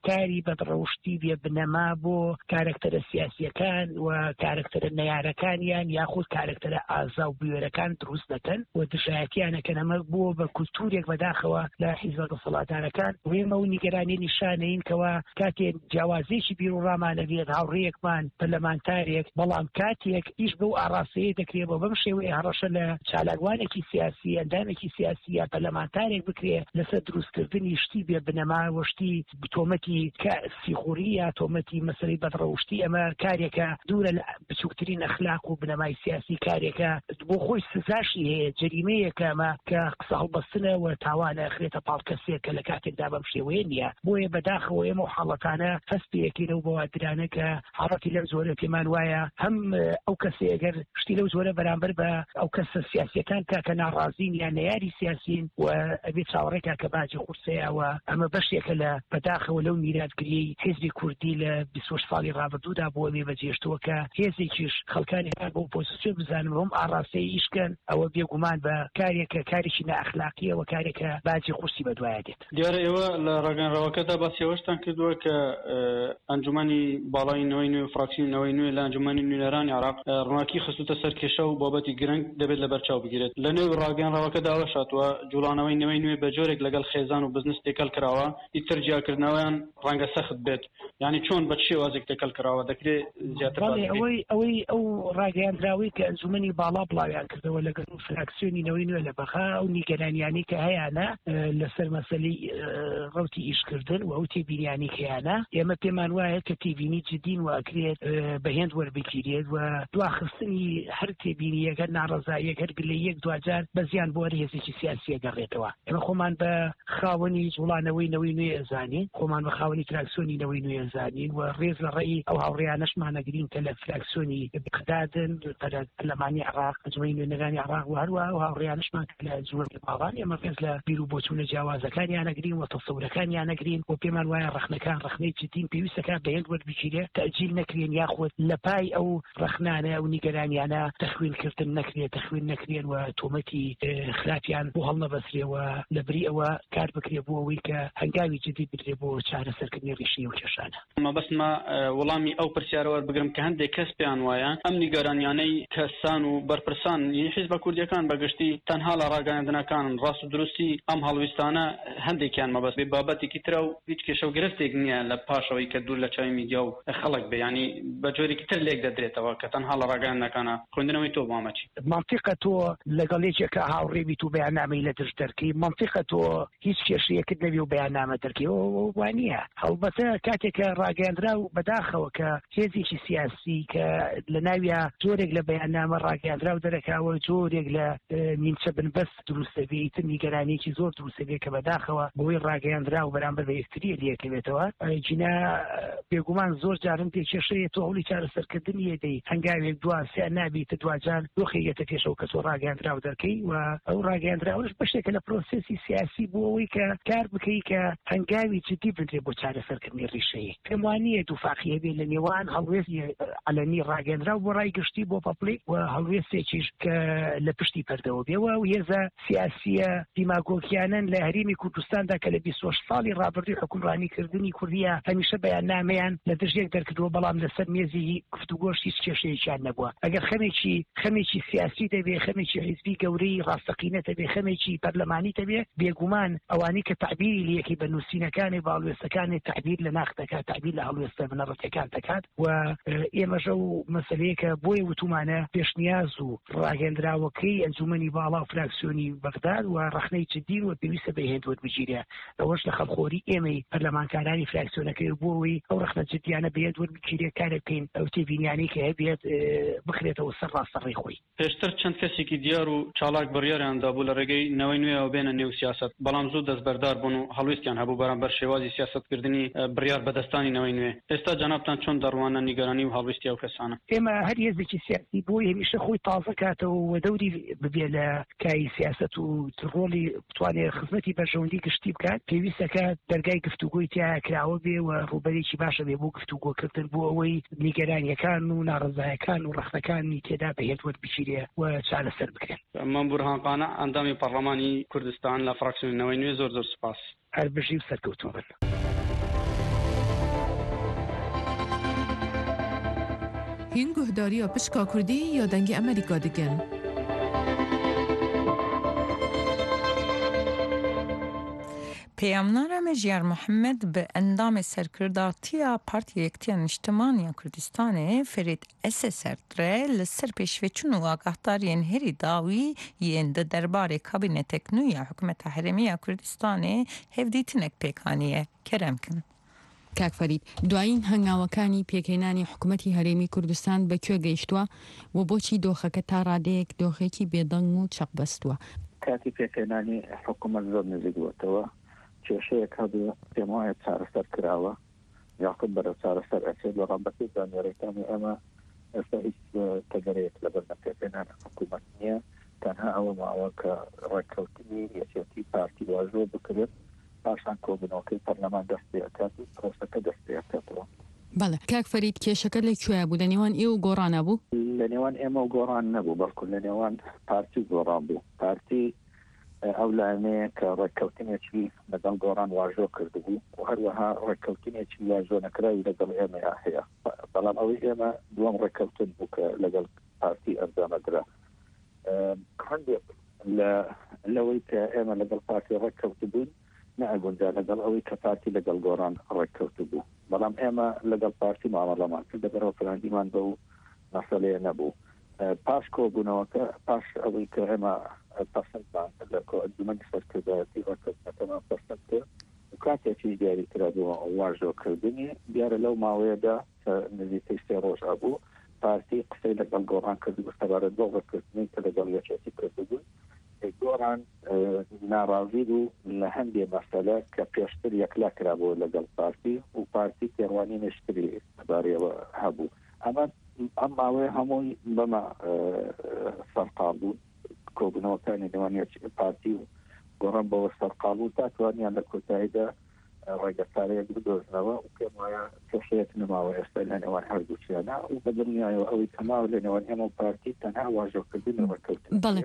کاری بەدڕەوشتی بێ بنەما بۆ کارەکتەرە سیاسیەکان و کارەکتەرە نەیارەکانیان یاخود کارەکتەرە ئازا و بوێرەکان دروست دەکەن و دژایەتیان ئەکەن. ئەمە بووە بە کولتورێک بەداخەوە لە حیزبە دەسەڵاتدارەکان. و ئێمە ئەو نیگەرانیە نیشانەین کەوا کاتێ جیاوازیەکی بیروڕامان ئەبێت، هاوڕێیەکمان پەرلەمانتارێک، بەڵام کاتێک ئیش بەو ئاراستەیە دەکرێت، بۆ بەم شێوەیە هەڕەشە لە چالاکوانێکی سیاسی، ئەندامێکی سیاسی یا پەرلەمانتارێک بکرێت لەسەر دروستکردنی شتی بێ بنەما و شتی بتۆمەتی کە سیخوری یا تۆمەتی مەسەلەی بەدڕەوشتی، ئەمە کارێکە دوورە لە بچووکترین ئەخلاق و بنەمای سیاسی، کارێکە بۆ خۆی سزاشی هەیە، جەریمەیەکە ئەمە کە قسە هەڵبەستنە و تاوانە ئەخرێتە پاڵ کەسێک کە لە کاتێکدا بەم شێوەیە نییە. بۆیە بەداخەوە ئێمە و حاڵەتانە هەست پێەکەینەوە بە وادرانە کە حاڵەتی لەم زۆرە پێمان وایە هەم ئەو کەسێ ئەگەر شتی لەو زۆرە بەرامبەر بە ئەو کەسە سیاسیەکان کا کە ناڕازین یان نەیاری سیاسین و ئەبێ چاوەڕێکا کە باجی قورسەیەوە. ئەمە بەشێکە لە بەداخەوە لەو میراتگریەی حیزبی کوردی لە بیست و شەش ساڵی ڕابردوودا بۆ ئەمێ بەجێشتووە کە هێزێکیش خەڵکانی هەر بۆ ئۆپۆزیسیۆن بزانم هەم ئاڕاستەی ئیشکەن، ئەوە بێگومان بە کارێکە کارێکی نەئەخلاقیەوە، کارێکە باجی قورسی بەدوایە دێت. دیارە ئێوە لە ڕاگەیاندراوەکەدا باسی ئەوەشتان کردووە کە، ئە، ئەنجومەنی باڵای نەوەی نوێ و فراکسیۆنی نەوەی نوێ لە ئەنجومەنی نوێنەرانی عێراق، ئە، ڕووناکی خستوتە سەر کێشە و بابەتی گرنگ دەبێت لەبەر چاو بگیرێت. لە نێو ڕاگەیاندراوەکەدا ئەوەش هاتووە، جوڵانەوەی نەوەی نوێ بە جۆرێک لەگەڵ خێزان و بزنس تێکەڵ کراوە، ئیتر جیاکردنەوەیان ڕەنگە سەخت بێت. یعنی چۆن، بە چ شێوازێک تێکەڵ کراوە؟ دەکرێت زیاتر باس بڵێ، بکەیت؟ ئەوەی، ئەوەی ئەو ڕاگەیاندراوەی کە ئەنجومەنی باڵا بڵاویان کردەوە لەگەڵ فراکسیۆنی نەوەی نوێ لە بەغا، ئەو نیگەرانیانەی کە هەیانە، ئە، لەسەر مەسەلەی، ئە، ڕەوتی ئیشکردن و ئەو تێبینیانی کە هەیانە، ئێمە پێمان وایە کە تێبینی جدین و ئەکرێت، ئە، بە هێند وەربگیرێت و دواخستنی هەر تێبینیەک، هەر ناڕەزاییەک، هەر گلەییەک دواجار بە زیان بۆ هەر هێزێکی سیاسی ئەگەڕێتەوە. ئێمە خۆمان بە خاوەنی جوڵانەوەی نەوەی نوێ ئەزانین، خۆمان بە خاوەنی تراکسیۆنی نەوەی نوێ ئەزانین و ڕێز لە ڕێی ئەو هاوڕێیانەشمان ئەگرین کە لە فراکسیۆنی بەغدادن، لە پەرلەمانی عێراق، ئەنجومەنی نوێنەرانی عێراق و هەروە ئەو هاوڕێیانەشمان کە لە ئەنجومەنی باڵان. ئێمە ڕێز لە بیر و بۆچوونە جیاوازەکانیان ئەگرین و تەسەورەکانیان ئەگرین و پێمان وایە ڕەخنەکان ڕەخنەی جدین، پێویستەکە بە هێند وەربگیرێت، تەجیل نەکرێن یاخود لە پای ئەو ڕەخنانە و نیگەرانیانە تەخوینکردن نەکرێت، تەخوین نەکرێن و تۆمەتی، ئێ، خراپیان بۆ هەڵنەبەسرێ و لە بری ئەوە کار بکرێ بۆ ئەوەی کە هەنگاوی جدی بدرێ بۆ چارەسەرکردنی ڕیشەی ئەو کێشانە. مەبەستمە، ئێ، وەڵامی ئەو پرسیارە وەربگرم کە هەندێک کەس پێیان وایە ئەم نیگەرانیانەی کەسان و بەرپرسان، یعنی حیزبە کوردیەکان بەگشتی تەنها لە ڕاگەیاندنەکانن، ڕاست و دروستی ئەم هەڵویستانە هەندێکیان مەبەست بێ بابەتێکی ترە و هیچ کێشە و گرفتێک نییە لە پاشەوەی کە دوور لە چاوی میدیا و خەڵک بێ، یعنی بە جۆرێکی تر لێک دەدرێتەوە کە تەنها لە ڕاگەیاندنەکانە. خوێندنەوەی تۆ بۆ ئەمە چی؟ مەنتیقە تۆ لەگەڵ یەکێکە هاوڕێ بیت و بەیاننامەی لە دژ دەرکەی، مەنتیقە تۆ هیچ کێشەیەکت نەبێ و بەیاننامە دەرکەی، ئەوە وانە نییە. هەڵبەتە کاتێک کە ڕاگەیاندرا و بەداخەوە کە هێزێکی سیاسی کە لە ناویا جۆرێک لە بەیاننامە ڕاگەیاندرا و دەرەکاوە، جۆرێک لە، ئێ، نیمچە بنبەست دروست دەبێ، ئیتر نیگەرانیەکی زۆر دروست دەبێ کە بەداخەوە بۆی ڕاگەیاندرا و بەرامبەر بە یەکتری لێکەوێتەوە. ئێ، جینا، ئێ، بێگومان زۆر جارن پێ کێشەیە تۆ هەوڵی چارەسەرکردنی یەدەی هەنگاوێک دوا سێ نابیتە دواجار دۆخێک یەتە پێشەوە کە تۆ ڕاگەیاندرا و دەرکەی و ئەو ڕاگەیاندراوەش بەشێکە لە پرۆسێسی سیاسی بۆ ئەوەی کە کار بکەی کە هەنگاوی جدی بنرێ بۆ چارەسەرکردنی ڕیشەیە. پێم وانە دووفاقیە بێ لە نێوان هەڵوێستی ئەلەنی ڕاگەیاندراو بۆ ڕای گشتی بۆ پەپڵی و هەڵوێستێکیش کە لە پشتی پەردەوە بێ و ئەو هێزە سیاسیە دیماگۆگیانن لە هەرێمی کوردستاندا کە لە بیست و شەش ساڵی ڕابردووی حکومڕانی کردنی کوردیە هەمیشە بەیاننامەیان لە دژ یەک دەرکردووە، بەڵام لەسەر مێزی گفتوگۆش هیچ کێشەیەکیان نەبووە. ئەگەر خەمێکی، خەمێکی سیاسی دەبێ، خەمێکی حیزبی گەورەی ڕاستەقینە دەبێ، خەمێکی پەرلەمانی دەبێ، بێگومان ئەوانی کە تعبیری لەیەکی بە نووسینەکانی باڵوێستەکانی تعبیر لە ناخ دەکات، تعبیر لە هەڵوێستە بنەڕەتیەکان دەکات و، ئێ، ئێمەش ئەو مەسەلەیە کە بۆیە وتومانە پێشنیاز و ڕاگەندراوەکەی ئەنجومەنی باڵا و فراکسیۆنی بەغداد و ڕەخنەی جدین و پێویستە بە هێند وەربگیرێ. ئەوەش لە خەڵخۆری ئێمەی پەرلەمانکارانی فراکسیۆنەکەی بۆ ئەوەی ئەو ڕەخنە جدیانە بە هێند وەربگیرێ، کارێک بکەین ئەو تێبینیانەی کە هەبێت، ئێ، بخرێتەوە سەر ڕاستە ڕێی خۆی. پێشتر چەند کەسێکی دیار و چالاک بڕیاریان دابوو لە ڕێگەی نەوەی نوێەوە بێنە نێو سیاسەت، بەڵام زوو دەستبەردار بوون و هەڵویستیان هەبوو بەرامبەر شێوازی سیاسەتکردنی، ئە، بڕیار بەدەستانی نەوەی نوێ. ئێستا جەنابتان چۆن دەڕوانە نیگەرانی و هەڵویستی ئەو کەسانە؟ ئێمە هەر هێزێکی سیاسی بۆی هەمیشە خۆی تازە کاتەوە و دەوری ببێ لە کای سیاسەت و ڕۆڵی بتوانێت خزمەتی بەرژەوەندی گشتی بکات، پێویستەکە دەرگای گفتوگۆی تیا کراوە بێ و ڕوبەرێکی باشە بێ بۆ گفتوگۆکردن بۆ ئەوەی نیگەرانیەکان و ناڕەزایەکان و ڕەخنەکانی تێدا بەهێز وەربگیرێ و چارەسەر بکرێن. مەمبوور هانقانە، ئەندامی پەڕلەمانی کوردستان لە فراکسیۆنەوەی نوێ، زۆر زۆر سپاس. هەر بژی و سەرکەوتوو بن. Hîn guhdariya pişka Kurdî ya Dengê Amerîka dikin. Peyamnara me Jiyar Muhammed bi endamê serkirdatiya Partiya Yektiya Niştiman ya Kurdistanê Ferîd Eseser re li ser pêşveçûn û agahdariyên herî dawî yên di derbarê kabînetek nû ya Hikûmeta Herêmî ya Kurdistanê hevdîtinek pêk aniye. Kerem kin. کاک فەرید، دوایین هەنگاوەکانی پێکهێنانی حکوومەتی هەرێمی کوردستان بە کوێ گەیشتووە و بۆچی دۆخەکە تا ڕادەیەک دۆخێکی بێدەنگ و چەقبەستووە؟ کاتی پێکهێنانی حکوومەت زۆر نزیک بووەتەوە. کێشەیەک هەبوو، پێم وایە چارەسەر کراوە، یاخود بەرەو چارەسەر ئەچێت، بەڵام بە پێی زانیاریەکانی ئێمە ئێستا هیچ، ئە، تەگەرەیەک لەبەر نەپێکهێنانی حکوومەت نییە. تەنها ئەوە ماوە کە ڕێککەوتنی یەکێتی پارتی واژۆ بکرێت، پاشان کۆبوونەوەکەی پەرلەمان دەست پێ ئەکات و پرۆسەکە دەست پێ ئەکاتەوە. بەڵێ. کاک فەرید، کێشەکە لە کوێ بوو؟ لە نێوان ئێوە و گۆڕانە بوو؟ لە نێوان ئێمە و گۆڕان نەبوو، بەڵکو لە نێوان پارتی و گۆڕان بوو. پارتی، ئە، ئەو لایەنەیە کە ڕێککەوتنێکی لەگەڵ گۆڕان واژۆ کردبوو و هەروەها ڕێککەوتنێکی واژۆ نەکراوی لەگەڵ ئێمەیا هەیە. بەڵام ئەوەی ئێمە دووەم ڕێککەوتن بوو کە لەگەڵ پارتی ئەنجامەدرا. ئە، هەندێک لە، لەوەی کە ئێمە لەگەڵ پارتی ڕێککەوتبووین، نەئەگونجا لەگەڵ ئەوەی کە پارتی لەگەڵ گۆڕان ڕێککەوتبوو. بەڵام ئێمە لەگەڵ پارتی مامەڵەمان کرد، لەبەرەوە پەیوەندیمان بەو مەسەلەیە نەبوو. ئە، پاش کۆبوونەوەکە، پاش ئەوەی کە ئێمە پەسەندمان لە کۆ-، ئەنجومەنی سەرکردایەتی ڕێککەوتنەکەمان پەسەند کرد و کاتێکی دیاری کرا بۆ واژۆکردنی، دیارە لەو ماوەیەدا کە نزیکەی سێ ڕۆژ ئەبوو، پارتی قسەی لەگەڵ گۆڕان کرد و سەبارەت بۆ ڕێککەوتنی کە لەگەڵ یەکێتی کردبوو. گۆڕان، ئە، ناڕازی بوو لە هەندێ مەسەلە کە پێشتر یەکلا کرابوو لەگەڵ پارتی و پارتی تێڕوانینێکی تری لەبارەیەوە هەبوو. ئەمە، ئەم ماوەیە هەمووی بەمە، ئە، سەرقاڵ بوو. کۆبوونەوەکانی نێوان یەک-، پارتی و گۆڕان بەوە سەرقاڵ بوو تا توانیان لە کۆتاییدا ڕێگە چارەیەک بدۆزنەوە و پێم وایە کێشەیەک نەماوە ئێستا لە نێوان هەردووکیانە و بە دڵنیایەوە ئەوەی کە ماوە لە نێوان ئێمە و پارتی تەنها واژۆکردنی ڕێککەوتن بەڵێ.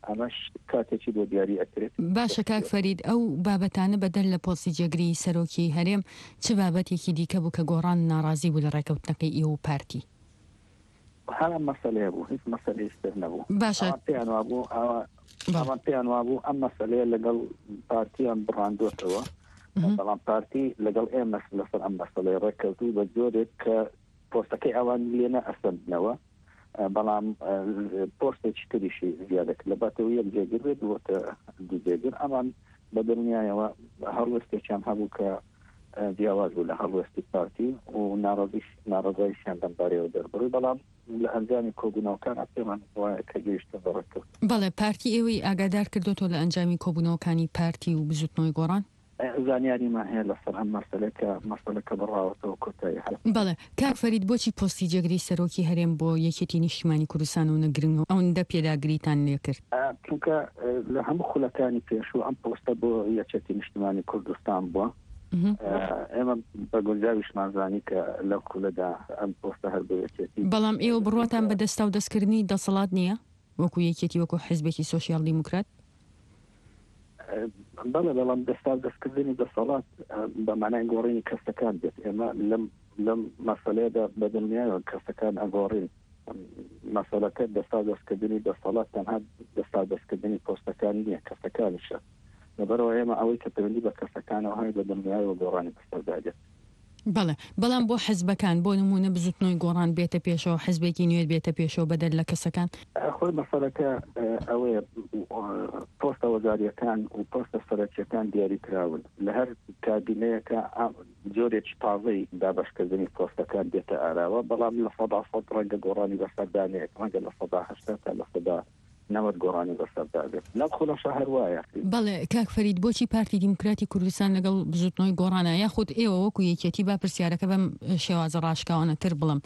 ئەمەش کاتێکی بۆ دیاری ئەکرێت. باشە کاک فەرید، ئەو بابەتانە بەدەر لە پۆستی جێگری سەرۆکی هەرێم، چ بابەتێکی دیکە بوو کە گۆڕان ناڕازی بوو لە ڕێککەوتنەکەی ئێوە و پارتی؟ هەر ئەم مەسەلەیە بوو، هیچ مەسەلەیەکی تر نەبوو. باشە. ئەوان پێیان وابوو، ئەوە-، بەڵێ. ئەوان پێیان وابوو ئەم مەسەلەیە لەگەڵ پارتیان بڕاندوتەوە. مهم. بەڵام پارتی لەگەڵ ئێمە لەسەر ئەم مەسەلەی ڕێککەوتوو بە جۆرێک کە پۆستەکەی ئەوان لێ نەئەسەندنەوە. بەڵام، ئە، پۆستێکی تریشی زیادە کرد. لە باتەوە یەک جێگر بێت، بۆتە دوو جێگر. ئەمان بە دڵنیایەوە هەڵوێستێکیان هەبوو کە، ئە، جیاواز بوو لە هەڵوێستی پارتی و ناڕەزیش-، ناڕەزاییشیان لەمبارەیەوە دەربڕی. بەڵام لە ئەنجامی کۆبوونەوەکان پێمان وایە کە گەیشتن بە ڕێککەوتن. بەڵێ، پارتی ئێوەی ئاگادار کردوتەوە لە ئەنجامی کۆبوونەوەکانی پارتی و بزوتنەوەی گۆڕان؟ ئە، زانیاریمان هەیە لەسەر ئەم مەسەلە کە مەسەلەکە بڕاوەتەوە کۆتایی هەر. بەڵێ. کاک فەرید، بۆچی پۆستی جێگری سەرۆکی هەرێم بۆ یەکێتی نیشتیمانی کوردستان و نەگرنگ ئەوەندە پێداگریتان لێ کرد؟ ئە، چونکە، ئە، لە هەموو خولەکانی پێشوو ئەم پۆستە بۆ یەکێتی نیشتیمانی کوردستان بووە. مهم. ئە، ئێمە بە گونجاویشمان زانی کە لەو خولەدا ئەم پۆستە هەر بۆ یەکێتی. بەڵام ئێوە بڕواتان بە دەستا و دەستکردنی دەسەڵات نییە؟ وەکو یەکێتی، وەکو حزبێکی سۆسیال دیموکرات؟ ئە، بەڵێ، بەڵام دەستا دەستکردنی دەسەڵات، ئە، بە مانای گۆڕینی کەسەکان دێت. ئێمە لەم، لەم مەسەلەیەدا بە دڵنیایەوە کەسەکان ئەگۆڕین. مەسەلەکە دەستا دەستکردنی دەسەڵات تەنها دەستا دەستکردنی پۆستەکان نییە، کەسەکانیشە. لەبەرەوە ئێمە ئەوەی کە پەیوەندی بە کەسەکانەوە هەیە بە دڵنیایەوە گۆڕانی بەسەردا دێت. بەڵێ، بەڵام بۆ حزبەکان، بۆ نمونە بزوتنەوەی گۆڕان بێتە پێشەوە، حزبێکی نوێ بێتە پێشەوە بەدەر لە کەسەکان؟ ئە، خۆی مەسەلەکە، ئە، ئەوەیە، ئە، پۆستە وەزاریەکان و پۆستە سەرەکیەکان دیاری کراون. لە هەر کابینەیەکە ئا-، جۆرێکی تازەی دابەشکردنی پۆستەکان دێتە ئاراوە، بەڵام لە سەدا سەد ڕەنگە گۆڕانی بەسەردا نێت، ڕەنگە لە سەدا هەشتا تا لە سەدا نەوەد گۆڕانی بەسەردا بێت. لەم خولەشە هەر وایە. بەڵێ، کاک فەرید، بۆچی پارتی دیموکراتی کوردستان لەگەڵ بزوتنەوەی گۆڕانە، یاخود ئێوە وەکو یەکێتی، با پرسیارەکە بەم شێوازە ڕاشکاوانەتر بڵم،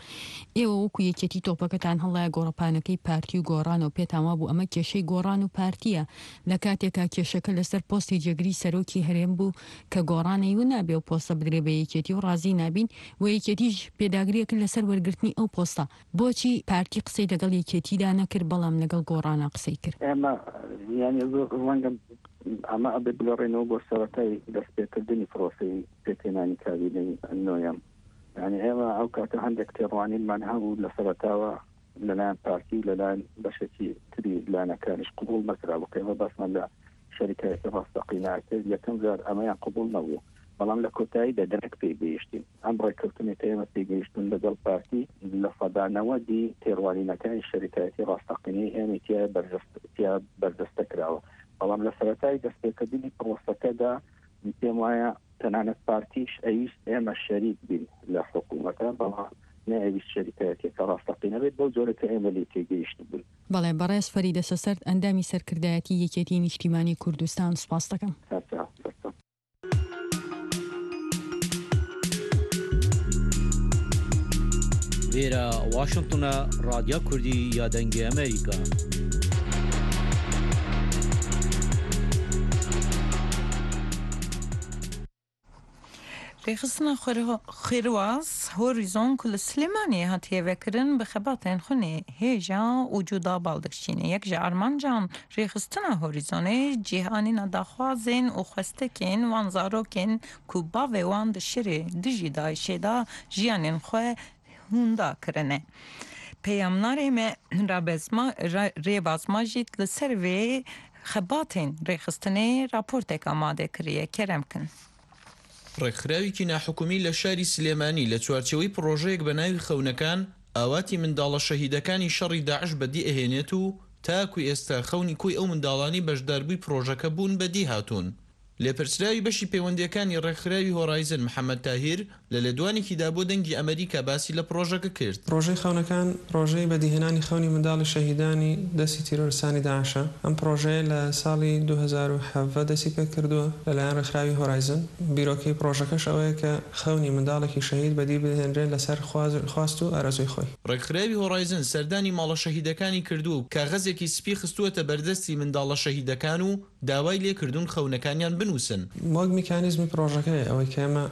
ئێوە وەکو یەکێتی تۆپەکەتان هەڵایە گۆڕەپانەکەی پارتی و گۆڕانەوە، پێتان وابوو ئەمە کێشەی گۆڕان و پارتیە، لە کاتێکا کێشەکە لەسەر پۆستی جێگری سەرۆکی هەرێم بوو کە گۆڕانەی و نابێ و پۆستە بدرێ بە یەکێتی و ڕازی نابین و یەکێتیش پێداگریەکرد لەسەر وەرگرتنی ئەو پۆستە. بۆچی پارتی قسەی لەگەڵ یەکێتیدا نەکرد، بەڵام لەگەڵ گۆڕانا قسەی کرد؟ ئێمە، یعنی، زۆر ڕەنگە ئەمە ئەبێ بگەڕێنەوە بۆ سەرەتای دەستپێکردنی پرۆسەی پێکهێنانی کابینەی نۆیەم. یعنی، ئێمە ئەو کاتە هەندێک تێڕوانینمان هەبوو لە سەرەتاوە لەلایەن پارتی و لەلایەن بەشێکی تری لایەنەکانیش قبول نەکرا. بۆ ئێمە باسمان لە شەریکایەتی ڕاستەقینە کرد، یەکەم جار ئەمەیان قبول نەبوو. بەڵام لە کۆتاییدا دەرەک پێی گەیشتین. ئەم ڕێککەوتنی کە ئێمە پێی گەیشتن لەگەڵ پارتی، لە سەدا نەوەدی تێڕوانینەکانی شەریکایەتی ڕاستەقینەی ئێمە تیا بەرجەست-، تیا بەرجەستە کراوە. بەڵام لە سەرەتای دەستپێکردنی پرۆسەکەدا پێم وایە تەنانەت پارتیش ئەویست ئێمە شەریک بین لە حکوومەتە، بەڵام نەئەویست شەریکایەتێکە ڕاستەقینە بێت، بەو جۆرە کە ئێمە لێ تێگەیشت بوون. بەڵێ، بەڕێز فەریدە سەسەرد، ئەندامی سەرکردایەتی یەکێتی نیشتیمانی کوردستان، سپاس دەکەم. هەر سەرچاو. Vêre Washington e, Radya Kurdî ya Dengê Amerîka. Rêxistina Xwero-, Xêrwaz Horizon ku li Silêmaniyê hatiye vekirin, bi xebatên xwe nê hêja û cuda bal dikişîne. Yek ji armancan rêxistina Horizonê cîhanîna daxwazên û xwestekên wan zarokên ku bavê wan di şirê dijî DAIŞê de jiyanên xwe hûnda kirine. Peyamnarê me Rabez Ma-, Ra-, Rêbaz Majîd li ser vê xebatên rêxistinê raportek amade kiriye. Kerem kin. ڕێکخراوێکی ناحکومی لە شاری سلێمانی لە چوارچێوەی پڕۆژەیەک بە ناوی خەونەکان ئاواتی منداڵە شەهیدەکانی شەڕی داعش بەدی ئەهێنێت و تاکو ئێستا خەونی کۆی ئەو منداڵانی بەشداربووی پڕۆژەکە بوون بەدی هاتوون. لێپرسراوی بەشی پەیوەندیەکانی ڕێکخراوی هۆرایزن محەممەد تاهیر لە لێدوانێکیدا بۆ دەنگی ئەمریکا باسی لە پڕۆژەکە کرد. پڕۆژەی خەونەکان پڕۆژەی بەدیهێنانی خەونی منداڵی شەهیدانی دەستی تیرۆرستانی داعشە. ئەم پڕۆژەیە لە ساڵی دوو هەزار و حەڤدە دەستی پێ کردووە لەلایەن ڕێکخراوی هۆرایزن. بیرۆکەی پڕۆژەکەش ئەوەیە کە خەونی منداڵێکی شەهید بەدی بهێنرێت لەسەر خواز-، خواست و ئارەزوی خۆی. ڕێکخراوی هۆرایزن سەردانی ماڵە شەهیدەکانی کردووە و کاغەزێکی سپی خستووەتە بەردەستی منداڵە شەهیدەکان و داوای لێکردوون خەونەکانیان بنووسن. وەک میکانیزمی پڕۆژەکەی ئەوەی کە ئێمە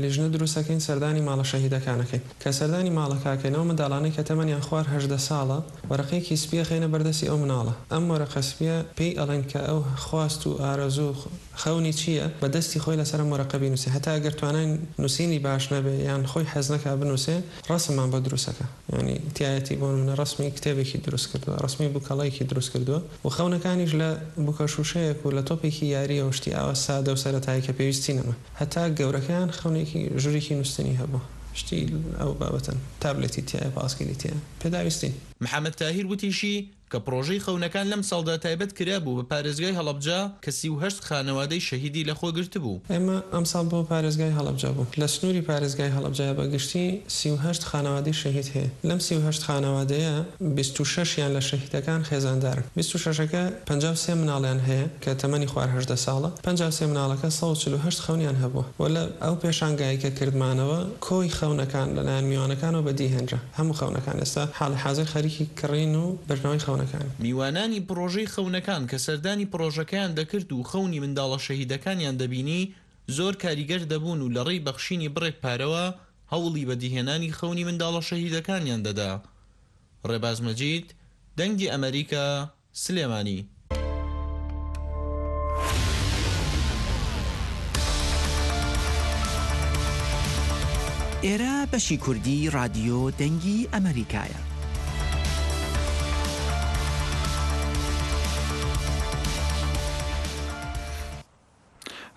لیژنە دروستەکەین سەردانی ماڵە شەهیدەکانەکەین. کە سەردانی ماڵەکەکەینەوە منداڵانەی کە تەمەنیان خوار هەژدە ساڵە، وەرەقەیەکی سپیە خەینە بەردەستی ئەو مناڵە. ئەم وەرەقە سپیە پێی ئەڵێن کە ئەو خواست و ئارەزوو خەونی چییە، بە دەستی خۆی لەسەر ئەم وەرەقە بینووسێ. هەتا ئەگەر توانای نووسینی باش نەبێ یان خۆی حەز نەکا بنووسێ، ڕەسممان بۆ دروستەکە. یعنی تایەتی بۆ منە ڕەسمی کتێبێکی دروست کردووە، ڕەسمی بووکەڵەیەکی دروست کردووە و خەونەکانیش لە بووکە شووشەیەک و لە تۆپێکی یاری و شتی ئاوا سادە و سەرەتایی کە پێویستی نەما. هەتا گەورەکەیان خەونێکی ژوورێکی نووسینی هەبوو. شتی ئەو بابەتەن. تابلێتی تایە، پاسکیلی تایە. پێداویستین. محەممەد تاهیر وتیشی کە پڕۆژەی خەونەکان لەم ساڵدا تایبەت کرابوو بە پارێزگای هەڵەبجە کە سی و هەشت خانەوادەی شەهیدی لەخۆ گرتبوو. ئێمە ئەمساڵ بۆ پارێزگای هەڵەبجە بوو. لە سنووری پارێزگای هەڵەبجە بە گشتی سی و هەشت خانەوادەی شەهید هەیە. لەم سی و هەشت خانەوادەیە بیست و شەش یان لە شەهیدەکان خێزاندارن. بیست و شەشەکە پەنجا و سێ مناڵیان هەیە کە تەمەنی خوار هەژدە ساڵە. پەنجا و سێ مناڵەکە سەد و چل و هەشت خەونیان هەبووە. وە لە ئەو پێشانگایە کە کردمانەوە کۆی خەونەکان لەلایەن میوانەکانەوە بەدیهێنرا. هەموو خەونەکان ئێستا حاڵی حاضر خەریکی کڕین و بردنەوەی خەونەکان. میوانانی پڕۆژەی خەونەکان کە سەردانی پڕۆژەکەیان دەکرد و خەونی منداڵە شەهیدەکانیان دەبینی، زۆر کاریگەر دەبوون و لە ڕێی بەخشینی بڕێک پارەوە هەوڵی بەدیهێنانی خەونی منداڵە شەهیدەکانیان دەدا. ڕێباز مەجید، دەنگی ئەمریکا، سلێمانی. ئێرە بەشی کوردی ڕادیۆ دەنگی ئەمریکایە.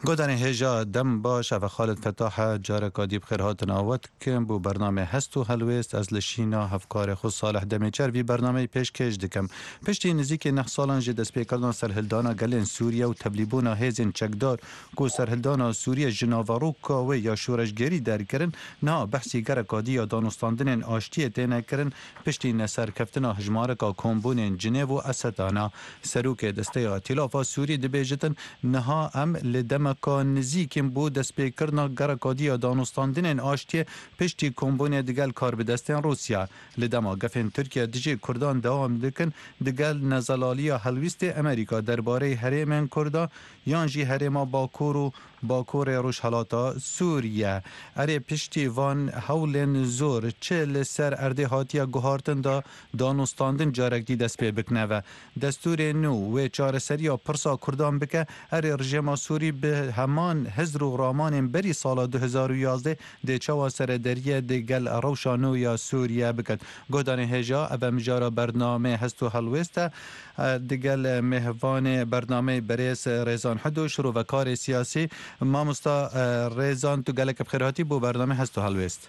Godanê hêja dem baş, ev e Xalid Fetah e, careka dî bi xêr hatina we dikim bo bernamê Hest û Helwêst. Ez li şîna hevkarê xwe Salih Demêçer vî bernameyê pêşkêş dikim. Piştî nizîkî neh salan ji destpêkirina serhildana gelên Sûriye û tevlîbûna hêzên çekdar ku serhildana Sûriye ji naveroka wê ya şoreşgerî derkirin, niha behsî gereka dî ya danûstandinên aştiyê têne kirin, piştî neserkeftina hejmareka kombûnên Cinêv û Esedana. Serokê Desteya Îtîlafa Sûrî dibêjitin, niha em li demeka nizîk in bo destpêkirina gereka dî ya danûstandinên aştiyê piştî kombûnê digel karbidestên Rûsya. Li dema gefên Tirkiye dijî Kurdan dewam dikin, digel nezelaliya helwîstê Amerîka derbarê herêmên Kurdan yan jî herêma Bakur û Bakurê Rojhelata Sûriye. Erê, piştî van hewlên zor çi li ser erdê hatiye guhartin da danûstandin carek dî dest pê bikine ve. Destûrê nû wê çareseriya pirsa Kurdan bike, erê, rejêma Sûrî bi heman hizr û ramanên berî sala du hezar û yazdeh dê çawa seredariyê digel rewşa nû ya Sûriye bikin. Guhdarên hêja, ev e mijara bernameyê Hest û Helwêst e. E, digel mêvanê bernameyê berêz Rêzan Hido, şirovekarê siyasî. Mamosta, e, Rêzan, tu gelek bi xêr hatî bo bernameyê Hest û Helwêst.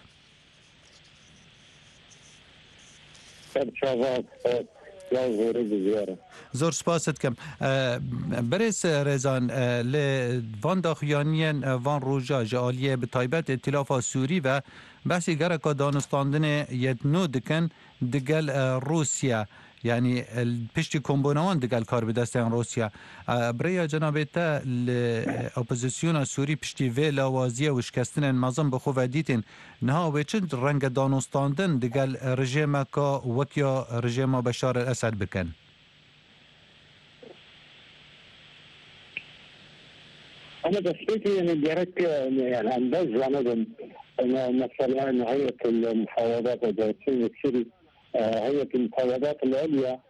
Ser çava, e, Zor spas dikim. E, Birêz Rêzan, e, li van daxuyaniyên, e, van roja ji aliyê bi taybet Îtîlafa Sûrî ve behsî gereka danûstandinê yê nû dikin digel, e, Rûsya. Yanî, e, piştî kombûna wan digel karbidestên Rûsya. E, bi rêya cenabê te li, e, opozisyona Sûrî piştî vê lawaziyê û şikestinên mezin bi xwe ve dîtîn, niha wê çi renge danûstandin digel rejêmeka wek ya rejêma Beşar el Esed bikin? Ama destpêkê, yani, gerek, e, yani, em bes zanibin, yani, mesela, yani, Heyet el Mufawadat Edersin Sirî, e, Heyet el Mufawadat el Elya,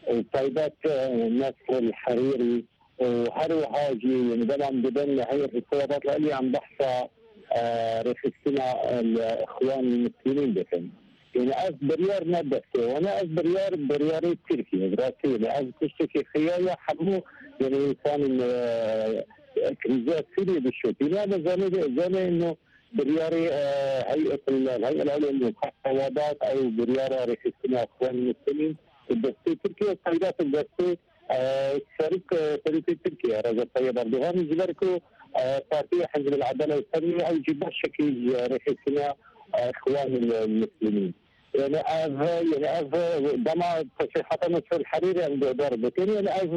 e, taybet, e, Nasr el Hariri, û her wiha jî, yani, dema em dibin li Heyet Mufawadat el Elya, em behsa, e, rêxistina, e, li Îxwan Muslimîn dikin. Yani, ev biryar ne destê wan e, ev biryar, biryarê Tirkiye ye. Bi rastî, yani, ev tiştekî xiya ye, hemû, yani, însanên, e, krîza Sûriyê dişopîne. Ama zanê, zanê ino biryarê, e, Heyet, Heyet el Elya Mufawadat, ew biryara rêxistina Îxwan Muslimîn, destê Tirkiye, taybet destê e, serok, e, serokê Tirkiye, Recep Tayyip Erdogan, ji ber ku, e, Partiya Hizb el Adale û Tenmî ew jî beşekî ji rêxistina, e, Îxwanul Muslimîn. Yani ev, yani ev, e, dema tesrîhata Nasr el Hariri em guhdar bikin, yani ev,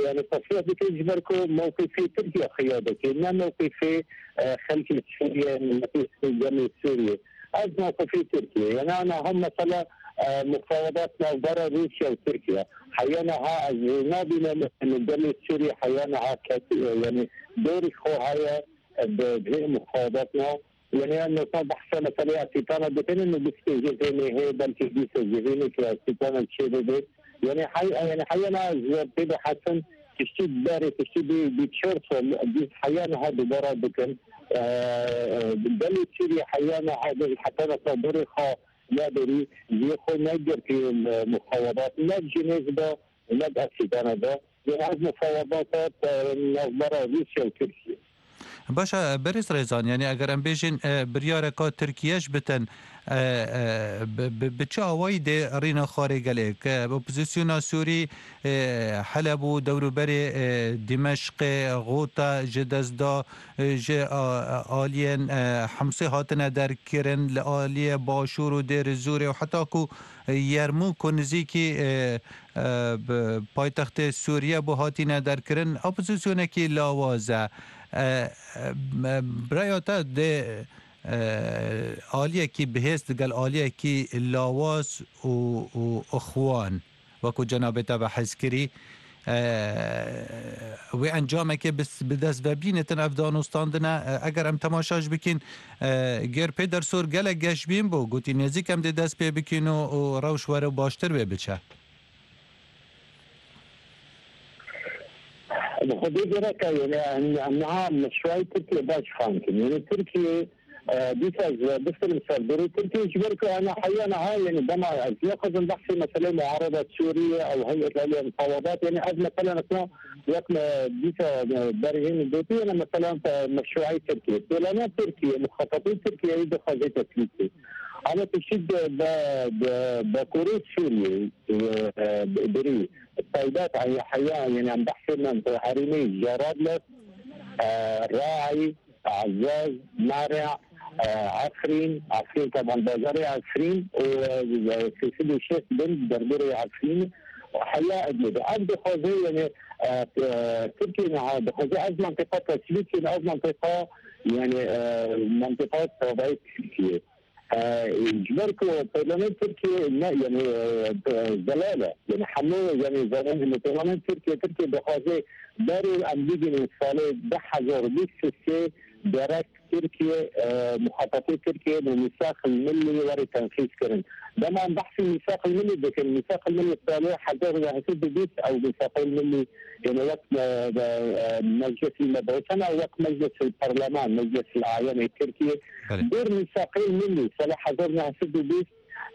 yani tesrîh dike ji ber ku mewqifê Tirkiye xiya dike, ne mewqifê, e, xelkê Sûriye, miletê Sûriye, Sûriye. Ez mewqifê Tirkiye. Yani ana hem mesela, e, mufawedat navbera Rûsya û Tirkiye. Heya niha ez nabînim li gelê Sûrî heya niha kesî, yani dorî xwe heye, e, bi vê mufawedatna. Yani em mesela behsa meseleyê Asîtana dikinin û bîst pêncê tenê heye, belkî dîsa civînê ki Asîtana çê bibe. Yani hey, yani heya niha ez pê de hesin tiştî berê, tiştî bi, bi çar sal, dîs heya niha dubara dikin. E, e, gelê Sûrî heya niha heta niha dorê xwe ya derî, cihê xwe ne girtî, e, mufawedat, ne Cenevê de, ne Asîtana de. Yanî ev mufawedat, e, navbera Rûsya û Tirkiye. Baş e, Berêz Rêzan, yanî eger em bêjin, e, biryareka Tirkiye ji bitin, e, e, bi, bi, bi çi awayî dê rîna xwarê gelê? Ke opozisyona Sûrî, e, Heleb û dewrûberê, e, Dimeşqê, Xûta ji dest da, e, ji, a, a, aliyên, e, Himsê hatine derkirin, li aliyê Başûr û Dêr Zûrê û heta ku, e, Yermûk ku nizîkî, e, e, bi paytextê Sûriye bû hatine derkirin, opozisyonekî lawaz e. E, e, me, bi raya te dê, e, aliyekî bihêz digel aliyekî lawaz û, û ixwan, wekû cenabê te behs kirî, e, wê encamekê bi, bi dest ve bînitin ev danûstandine. E, eger em temaşa jî bikîn, e, Gêr Pêdersor gelek geşbîn bû, gotî nêzîk em dê dest pê bikîn û, û rewş were û baştir wê biçe. Bi xwedê gerek e, yani, em, em niha meşruayê Tirkiye baş fam kin. Yani Tirkiye, e, dîsa ez bifikirim ser dorê Tirkiye, ji ber ku ana heya niha, yani dema ez naxwazim behsê meseleyê muarada Sûriye ew Heyet Aliyê Mufawadat, yani ev mesela, mesela wek me dîsa, e, berhên gotî, yani mesela, e, meşruayê Tirkiye. Plana Tirkiye, muxatatê Tirkiye dixwaze teslîkê. Ama tiştî de, de, de, bakurê Sûriye, e, e, berî taybet, ay, heya, yani em behsê me, e, herêmê Cerablus, e, Raî, Ezez, Merê, e, Efrîn, Efrîn, taban bajarê Efrîn û, e, sê sed û şêst bin derdorê Efrîn û heya Idlibê. Ev dixwaze, yani, e, e, Tirkiye niha dixwaze ev mentiqa teslîk kin, ev mentiqa, yani, e, mentiqa tavayê Tirkiye. E, ji ber ku peymanên Tirkiye ne, yani, e, zelal e. Yani hemû, yani, zanîn li peymanên Tirkiye, Tirkiye dixwaze berê em bigihînin salê du hezar û bîst û sê gerek Tirkiye, e, muxatatê Tirkiye bi Mîsaq el Millî were tenfîz kirin. Dema em behsî Mîsaq el Millî dikin, Mîsaq el Millî salê hezar û neh sed û bîst ew Mîsaq el Millî, yani wek, e, e, e, meclisî me dawetana, wek meclis el parleman, meclis el ayanê Tirkiye. Belê. Dor Mîsaqê Millî salê hezar û neh sed û bîst,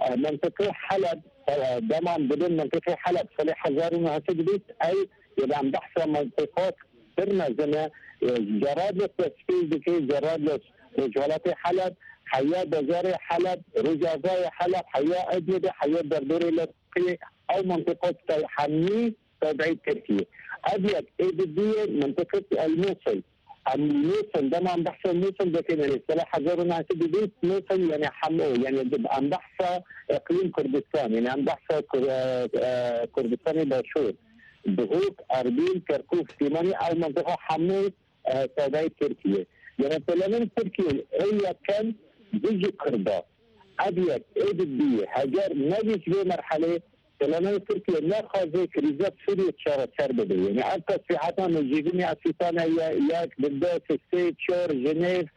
e, mentiqê Heleb, e, dema em dibin mentiqê Heleb salê hezar û neh sed û bîst, ew, yani em behsa mentiqat pir mezin e, e, Cerablus destpêk dike, Cerablus rojhelatê Heleb, heya bajarê Heleb, rojavayê Heleb, heya Idlibê, heya derdorê Lezqiyê, ew mintiqa te hemî teveyî Tirkiyê. Ev yek ê di duyê mintiqet El Musil. Em Musil, dema em behsa Musil dikin, yani sala hezar û neh sed û bîst Musil, yani hemû, yani em behsa iqlîm Kurdistan, yani em behsa Kur-, e, e, Kurdistanê Başûr, Duhok, Erbîl, Kerkûk, Silêmanî, ew mintiqa hemû e, tevayê Tirkiye. Yanî planên Tirkiye ê yekem dijî Kurda. Ev yek ê di duyê heger nebî ji vê merhelê, planên Tirkiye nexwaze krîza Sûriye çareser bibe. Yanî ev tesrîhata nêjîbînê Efîsane ye, yek, bi des, sê, çar, Jenêv,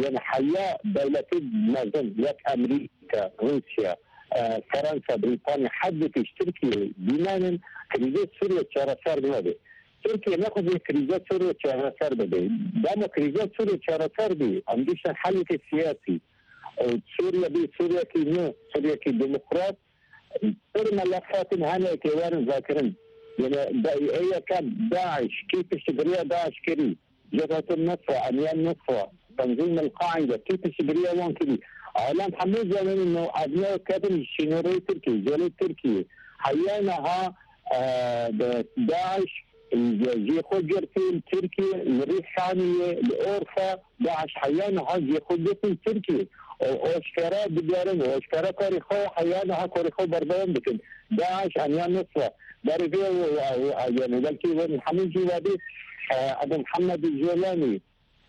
yanî heya dewletê mezin, yek Amerîka, Rûsya, e, Fransa, Brîtanya, heta pêş Tirkiye bînenin krîza Sûriye çareser nabe. Tirkiye nexwaze krîza Sûriye çareser bibe. Dema krîza Sûriye çareser bî, em gihiştin helekê siyasî. Û Sûriye bî Sûriyekî nû, Sûriyekî demokrat, pir melefatin hene ke werin vekirin. Yanî da-, ê yekem DAIŞ, kî piştgiriya DAIŞ kirî? Cebhetun Nusra, Emniyet Nusra, Tenzîm El Qaîde, kî piştgiriya wan kirî? Alem hemû zanin û ev ne ketin ji sînorê Tirkiyê, gelê Tirkiyê. Heya niha, e, bi DAIŞ, e, jê xwe girtin Tirkiyê, li Rîhaniyê, li Orfa, DAIŞ heya niha jê xwe girtin Tirkiyê. Û aşkera digerin û aşkera karê xwe heya niha karê xwe berdewam dikin. DAIŞ, Emniyet Nusra, berê vê û, û, û, yanî belkî wan hemû jî vadî, e, Ebu Muhammed Colanî,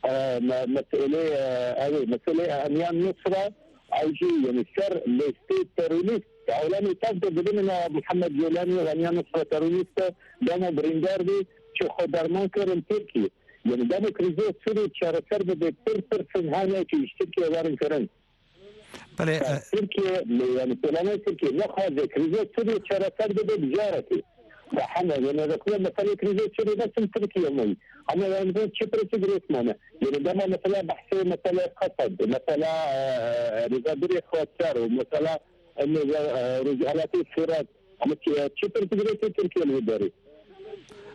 e, me-, meselê, e, ew ê, meselê Emniyet Nusra, ew jî, yanî ser lêstê terorîst, elamê tev de dibin, ina Muhammed Colanî û Emniyet Nusra terorîst e, dema birîndar bî, çi xwe derman kirin Tirkiyê. Yanî dema krîza Sûriyê çareser bibe, pir, pir pirsin hene ku ji Tirkiye werin kirin. Belê, e, Tirkiye, yanî planê Tirkiye nexwaze krîza Sûriyê çareser bibe bi carekê. Ve hene, yanî rexne meselê krîza Sûriyê ne tim Tirkiye meyî. Ama yanî bu çi pirsî girêt mane. Yanî dema mesela behsê mesela Qesed, mesela, e, rêzebirê Xweser û mesela, e, e, Rojhelatê Firat, ama çi, çi pirsî girêt Tirkiye li wî derê?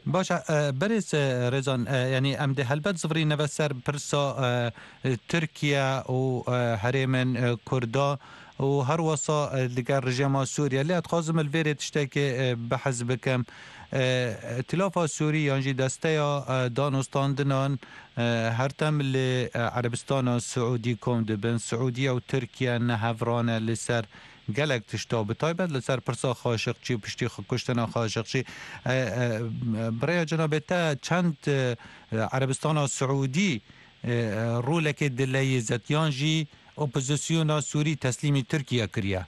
Baş e, e, berêz, e, Rêzan, e, yanî em dê helbet zivirîne ve ser pirsa, e, e, Tirkiye û, e, herêmên, e, Kurda û her wesa, e, li gel rejîma Sûriye. Lê ez dixwazim li vêrê tiştekê, e, behs bikim. E, Îtîlafa Sûrî yan jî desteya, e, danûstandinan, e, her tim li, e, Erebistana Siûdî kom dibin. Siûdiye û Tirkiye ne hevrane li ser gelek tişta, bi taybet li ser pirsa Xaşiqçî û piştî xwe kuştina Xaşiqçî. E, e, bi rêya cenabê te çend, e, Erebistana Siûdî, e, rolekê dileyîzet yan jî opozisyona Sûrî teslîmî Tirkiye kiriye?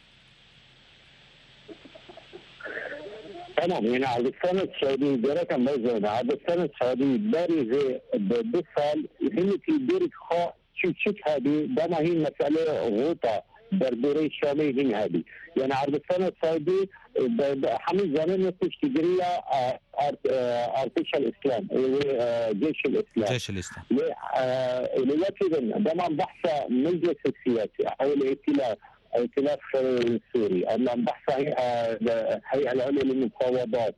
Tamam, yani Erebistana Siûdî gerek em bizane. Erebistana Siûdî berî vê bi du sal hinekî dûrik xwe çû çik hebî, dema hîn meselê Xûta derdorê Şamê hîn hebî. Yani Erebistana Siûdî, e, be, be, hemî zanin piştgiriya, e, art-, e, Artêşa Îslam, e, e, Ceyşul Îslam. Ceyşul Îslam. Lê, e, lê wekî din, dema behsa meclisi siyasî, ew li îtîlaf, îtîlaf, e, Sûrî, em behsa, e, de, Hey'el Ulya lil Mufawadat,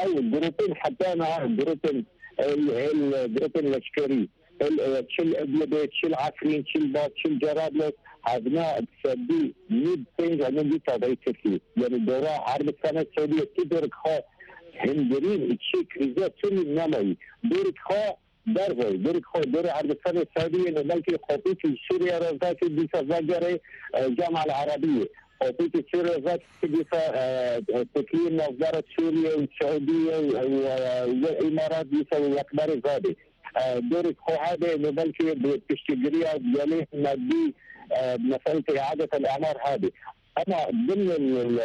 ew grûpên heta niha grûpên, el, el, grûpên leşkerî, El, e, çil Idlibê, çil Efrîn, çil Bat, çil Cerablus, hevna sedî nîv pênc û nîv tavayî Tirkî. Yani dora Erebistana Siûdî tu dor xwe hingirîn çi krîza Sûrî nemayî. Dor xwe dervayî, dor xwe dor Erebistana Siûdî, yani belkî qopîkî Sûriye re vekî dîsa vegere, e, Cama El Erebiyê. Qopîkî Sûriye vekî dîsa, e, e, Tirkiyê navbera Sûriye û Siûdiye û, e, û, e, Îmarat dîsa wekberê vadê. E, dorê xwe hebe, me belkî bi piştgiriya gelê medî, e, meselê îadet el-amar hebe. Ama dimên, e,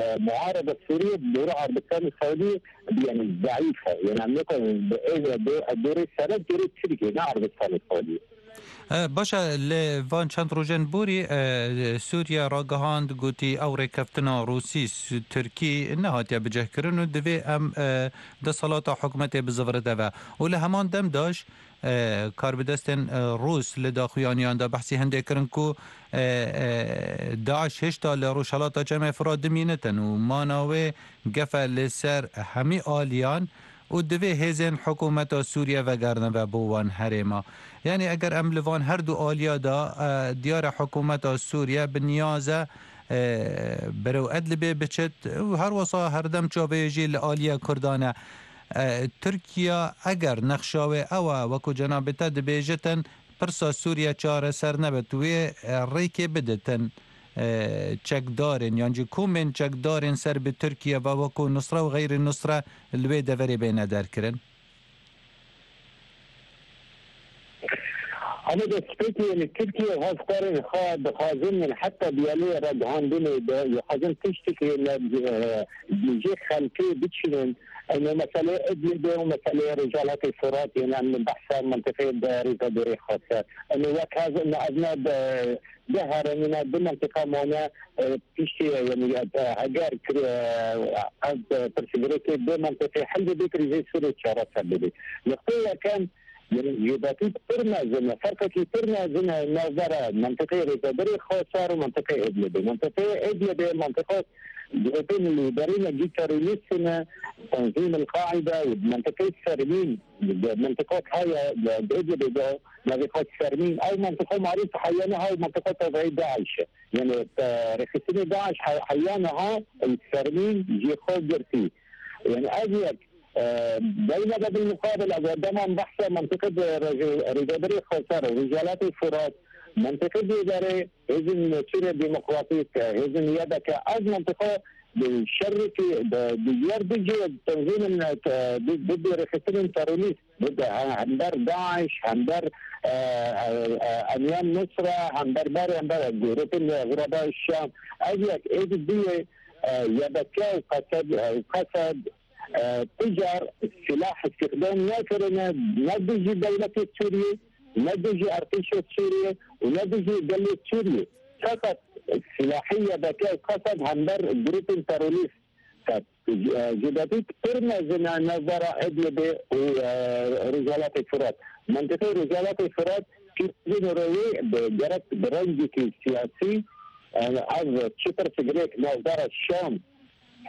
e, muarebe Sûriye, dora Erebistan Siûdî, yani, zeîf e. Yani, em nikarin bi ê do-, dorê sere, dorê Tirkiye, ne Erebistan Siûdî. E, baş e, li van çend rojên borî, e, Sûriye ragihand, gotî ew rêkeftina Rûsî, Su-, Tirkî nehatiye bicihkirin û divê em, e, desthilata hikûmetê bizivirite ve. Û li heman dem de jî, e, karbidestên, e, Rûs li daxuyaniyan de behsî hindê kirin ku, e, e, DAIŞ hêşta li Rojhelata Çemê Firat dimînitin û mana wê gef e li ser hemî aliyan û divê hêzên hikûmeta Sûriye vegerine ve bo wan herêma. Yanî eger em li van her du aliya de, e, diyar e hikûmeta Sûriye bi niyaz e, e, berê Edlibê biçit û her wisa herdem çavê jî li aliyê Kurdan e. E, Tirkiye eger nexşa wê ew e, wekû cenabê te dibêjitin, pirsa Sûriye çareser nebit, wê, e, rêkê biditin, e, çekdarên yan jî komên çekdarên ser bi Tirkiye ve wekû Nusra û Xeyrî Nusra li wê deverê bêne derkirin? Ama destpêkê, yani Tirkiye hevkarên xwe dixwazin, yani heta diyalê ragihandinê de, dixwazin tiştekî li, e, jê xelkê biçînin. Eno meselê Idlibê û meselê Rojhilatê Furat, yani em behsa mentiqê de rêzedorê xwe ser. Eno wek hev, eno ev ne de, de heremîne, du mentiqa mane, e, piştî, yani, e, heger kir-, e, ev, e, pirsgirêkê du mentiqê hel bibe, krîzê Sûriyê çareser bibe. Nuqteyê yekem, yani, cudakî pir mezin e, ferqekî pir mezin e navbera mentiqê rêzedorê Xwesar û mentiqê Idlibê. Mentiqê Idlibê mentiqa grûpên lêderî ne cî terorîst ne, Tenzîm El-Qaîde û mentiqê Sermîn, di mentiqa heye, di, di Idlibê de navê xwe Sermîn. Ew mentiqa marîf heyane ha mentiqa tevayî DAIŞ e. Yani, e, rêxistinê DAIŞ he-, heyane ha, e, Sermîn jê xwe girtî. Yani, ev yek, e, beyne de bil muqabil, ev dema em behsa mentiqê de rêze-, rêzedorê Xwesar û Rojhilatê Furat, mentiqê de derê hêzên Sûriye Demokratîk, hêzên Y D K, ev mentiqa di şerrekî, di, di yer dijî tenzîmên, e, di, di, di rêxistinên terorîst, bi, bi, he-, hember DAIŞ, hember, e, e, e, Enyam Nusra, hember berê, hember grûpên Xuraba Şam, ev yek ê di duyê, e, Y D K û Qesed, e, Qesed, e, tu car silah îstîxdam nekirine, ne dijî dewletê Sûriyê, ne dijî artêşê Sûriyê û ne dijî gelê Sûriyê. Feqet silahî Y D K û Qesed hember grûpên terorîst. Ket, e, cudakî pir mezin e navbera Idlibê û, e, Rojhilatê Firat. Mentiqê Rojhilatê Firat, kî rewê bi gerek bi rengekî siyasî, e, ev çi pirsgirêk navbera Şam,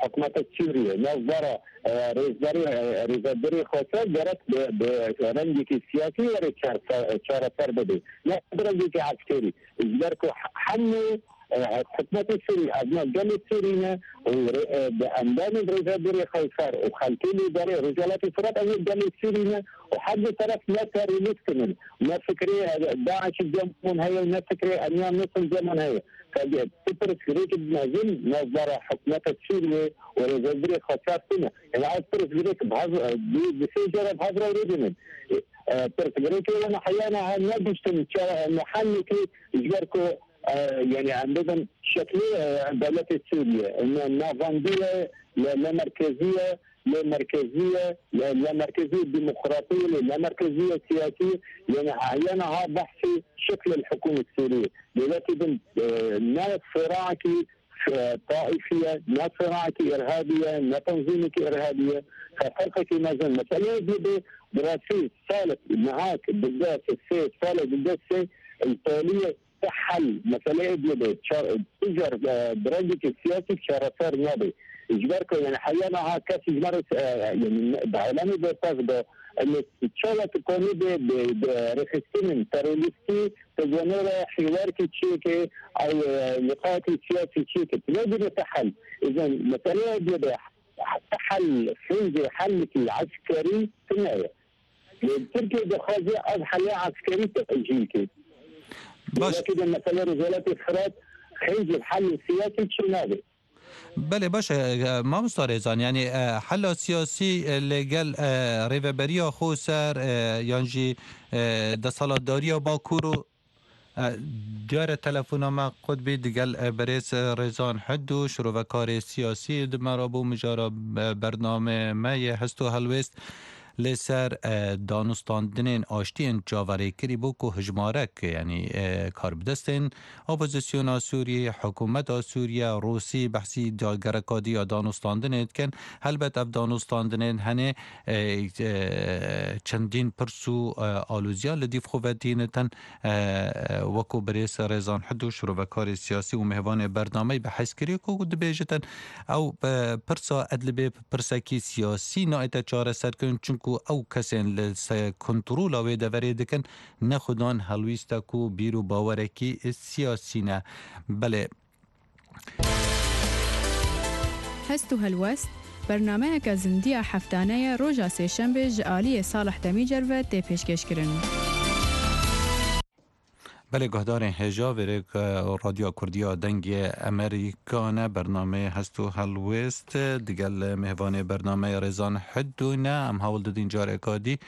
hikûmeta Sûriyê, navbera, e, rêzberê, e, rêzebirê Xweser gerek bi, bi rengekî siyasî were çarse-, çareser bibe. Ne bi rengekî eskerî. Ji ber ku he-, hemû, e, hikûmetê Sûrî, ev ne gelê Sûrî ne û rê-, e, bi endamên rêzebirê Xweser û xelkê lêderê Rojhilatê Firat ev gelê Sûrî ne û her du teref ne terorîst in. Ne fikrê, e, DAIŞ cem hûn heye û ne fikrê Enyam Nusra cem hûn heye. Ka tu pirsgirêk mezin navbera hikûmeta Sûriyê û rêzebirê Xweser tune. Yani ev pirsgirêk bi hev, e, du, du sê cara bi hev re rûdinin. E, e, pirsgirêkê wana heyana ha negiştin çawa, e, muhellekî ji ber ku, e, yani em bibin şeklê, e, dewletê Sûriye. Ne navandiye, ne, ne merkeziye, lê merkezî ye, lê, lê merkezî demokratî, lê, lê merkezî ye siyasî, yani heyana ha behsî şeklê hikûmet Sûrî. Dewletî din, e, ne siraekî, e, taîfî ye, ne siraekî irhabî ye, ne tenzîmekî irhabî ye. Fe-, ferqekî mezin. Meseleyê dî bi, bi rastî salek, niha ki duzdeh sê, salek duzdeh sê, li Taliyê te hel, meseleyê diyê de ça-, tu car, e, bi rengekî siyasî çareser nabe. Ji ber ku, yani, heya niha kes ji me re, e, yani, di alemê bertev de, yani, çawa tu kanî bi, bi, bi rêxistinên terorîstî, tu ji wan re hîwarkî çêke, ew, e, liqayekî siyasî çêke. Tu ne dibê te hel. Îzan, meseleyê diyê de te hel, hêzê helekî eskerî tune ye. Tirkiye dixwaze ev hela eskerî tecîl ke. Baş. Wekî de mesela Rojhilatê Firat hêzê helê siyasî çi nabe. Belê, baş e, e, mamosta Rêzan, yani, e, hela siyasî, e, li gel, e, rêveberiya Xweser, e, yan jî, e, desthilatdariya Bakur û E, diyar e telefona me qut bî digel, e, berêz, e, Rêzan Hidû, şirovekarê siyasî di me re bû, mijara, e, bername me yê hest û helwêst li ser, e, danûstandinên aştiyên çaverêkirî bû ku hijmarek, yanî, e, karbidestên opozisyona Sûriyê, hikûmeta Sûriye, Rûsî behsî da-, gerekadiya danûstandinê dikin. Helbet ev danûstandinên henê, e, e, çendîn pirs û, e, alûziyan li dîv xwe ve tînitin. E, wekû birêz Rêzan Hidû, şirovekarê siyasî û mêvanê bernameyê bi hezkirî ku dibêjitin, ew, e, pirsa Edlibê pirsekî siyasî nayête çareserkirin, çunku ew kesên li se-, kontrola wê deverê dikin, ne xudan helwîstek û bîr û bawerekî siyasî ne. Belê, Hest û Helwest, bernameyeke zindiya heftane ye, roja sêşembê ji aliyê Salih Demîcer ve tê pêşkêşkirin. Belê guhdarên hêja, vêrê Radyoya Kurdiya Dengê Amerîka ne, bernameyê Hest û Helwêst digel mêvanê bernameyê Rêzan Hidû ne. Em hewl didin careka dî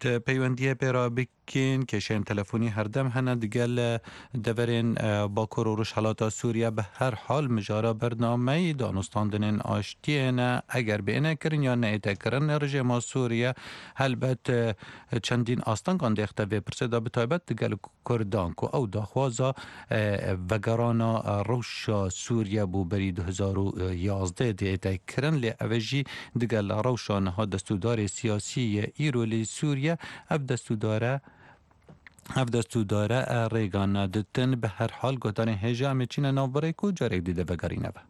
te peywendiyê pê re bik- kên. Kêşeyên telefonî herdem hene digel, e, deverên, e, Bakur û Rojhelata Sûriye. Bi her hal, mijara bernameyî danûstandinên aştiyê ne. Eger bêne kirin ya neête kirin, rejêma Sûriye helbet, e, çendîn astengan dêxte vê pirsê de, bi taybet digel Kurdan ku ew daxwaza, e, vegerana, e, rewşa Sûriye bû berî du hezar û yazdeh dêête kirin, lê ev e jî digel rewşa niha destûdarê siyasî ye îro li Sûriye. Ev destûdare, ev destûdare, e, rêga neditin. Bi her hal, guhdarên hêja, em ê çîne nav birêk û carek dî de vegerîne ve.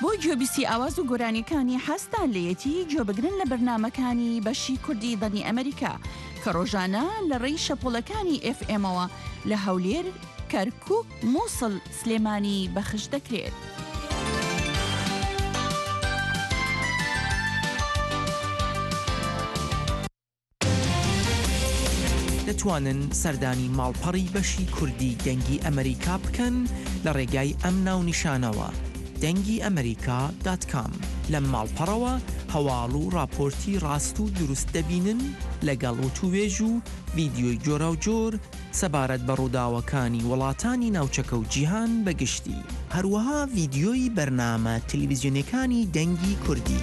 بۆ گوێبیستی ئاواز و گۆرانیەکانی حەزتان لێیەتی، گوێبگرن لە بەرنامەکانی بەشی کوردی دەنی ئەمریکا کە ڕۆژانە لە ڕێی شەپۆڵەکانی ئێف ئێمەوە لە هەولێر، کەرکووک، مووسڵ، سلێمانی بەخش دەکرێت. دەتوانن سەردانی ماڵپەڕی بەشی کوردی دەنگی ئەمریکا بکەن لە ڕێگای ئەم ناونیشانەوە، دەنگی ئەمریکا دات کام. لەم ماڵپەڕەوە هەواڵ و ڕاپۆرتی ڕاست و دروست دەبینن، لەگەڵ وتووێژ و ڤیدیۆی جۆراوجۆر سەبارەت بە ڕووداوەکانی وڵاتانی ناوچەکە و جیهان بە گشتی. هەروەها ڤیدیۆی بەرنامە تەلەڤیزیۆنیەکانی دەنگی کوردی.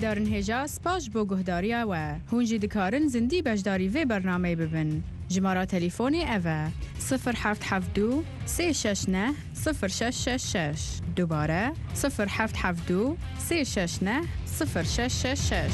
Guhdarên hêja, spas ji bo guhdariya we. Hûn jî dikarin zindî beşdarî vê bernameyê bibin. Jimara telîfonê ev e: sifir heft heft du sê şeş neh sifir şeş şeş şeş. Dubare: sifir heft heft du sê şeş neh sifir şeş şeş şeş.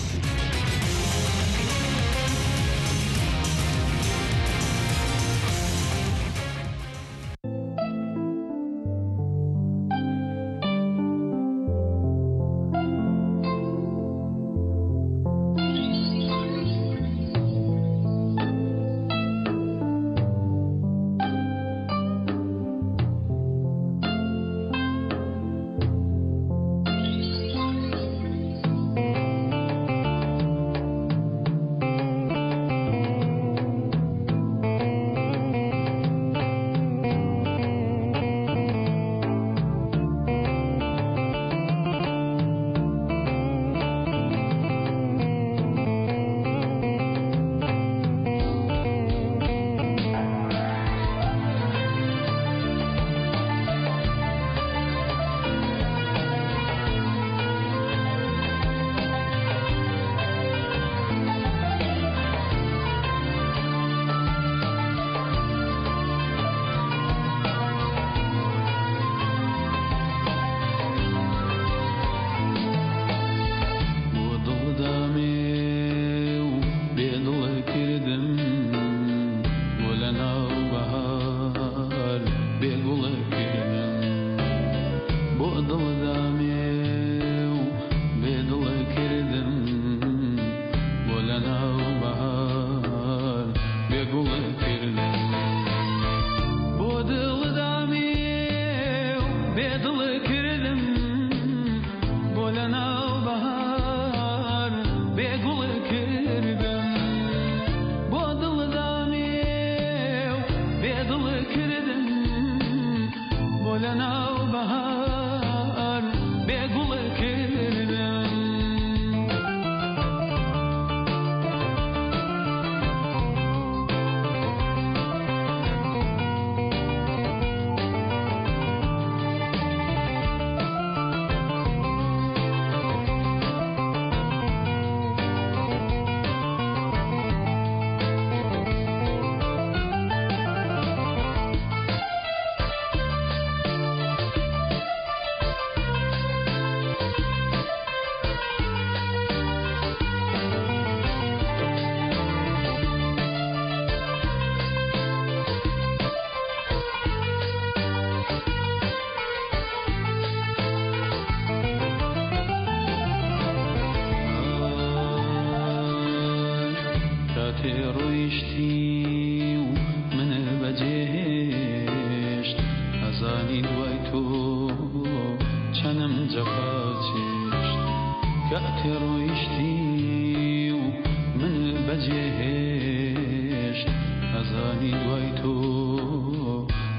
Tê rûyiştî û min vecêhêşt, ezanî duway to çenim cefa çêşt. Ke tê rûyiştî û min vecêhêşt, ezanî duway to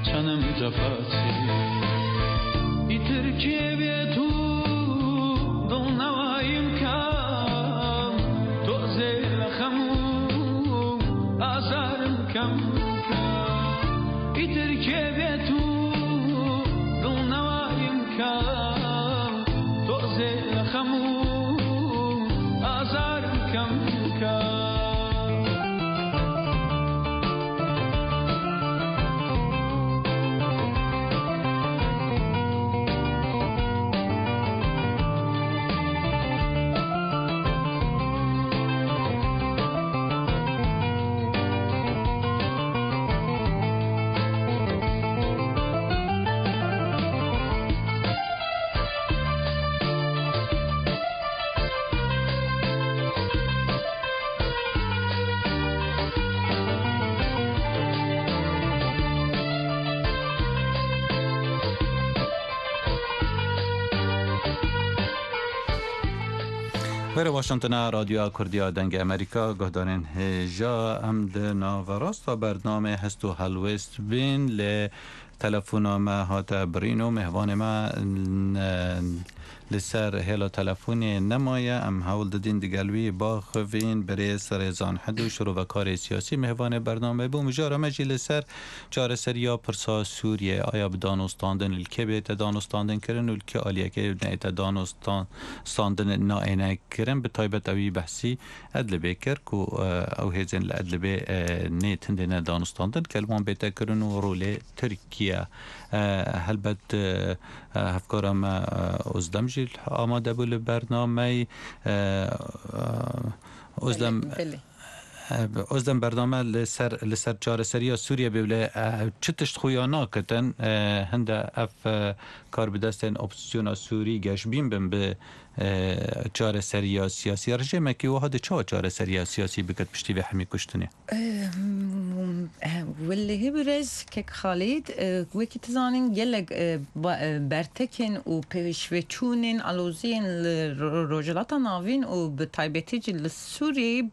çenim cefa çêşt. Îtir kê bê tu dil newayim kam, to zê li xem û azarim kem kam. Îtir kê bê tu dil newayim kam, to zê li xem û azarim kem kam. Were Washingtona Radyoya Kurdiya Dengê Amerîka, guhdarên hêja, em di naverasta bernamê Hest û Helwêst bên, lê telefona me hate birîn û mêvanê me, n-, li ser hêla telefonê nemaye. Em hewl didîn digel wî baxivîn. Birêz Rêzan Hedû, şirovekarê siyasî, mêvanê bernamê bû. Mijara me jî li ser çareseriya pirsa Sûriyê, aya bi danûstandin, li kê bête danûstandin kirin û li kê aliyekê neyête danûstan-, standin nayêne kirin. Bi taybet ewî behsî Edlibê kir ku, e, ew hêzên li Edlibê, e, nê tindê ne danûstandin, ke li wan bête kirin û rolê Tirkiye. E, helbet, e, e, hevkara me, e, Ozdem jî amade bû li bernameyê. E, e, Ozdem, Belê, belê. E, Ozdem, bername li ser, li ser çareseriya Sûriye bê, lê, e, çi tişt xuya nakitin, e, hinde ev, e, karbidestên opozîsyona Sûrî geşbîn bin bi, e, çareseriya siyasî. Rejêmekî wiha di çawa çareseriya siyasî bikit piştî vê hemî kuştinê? Em, e, Welehî birêz kek Xalîd, e, wekî tu zanîn gelek, e, ba-, e, bertekên û pêşveçûnên aloziyên li Ro-, Rojhilata Navîn û bi taybetî jî li Sûriyeyê,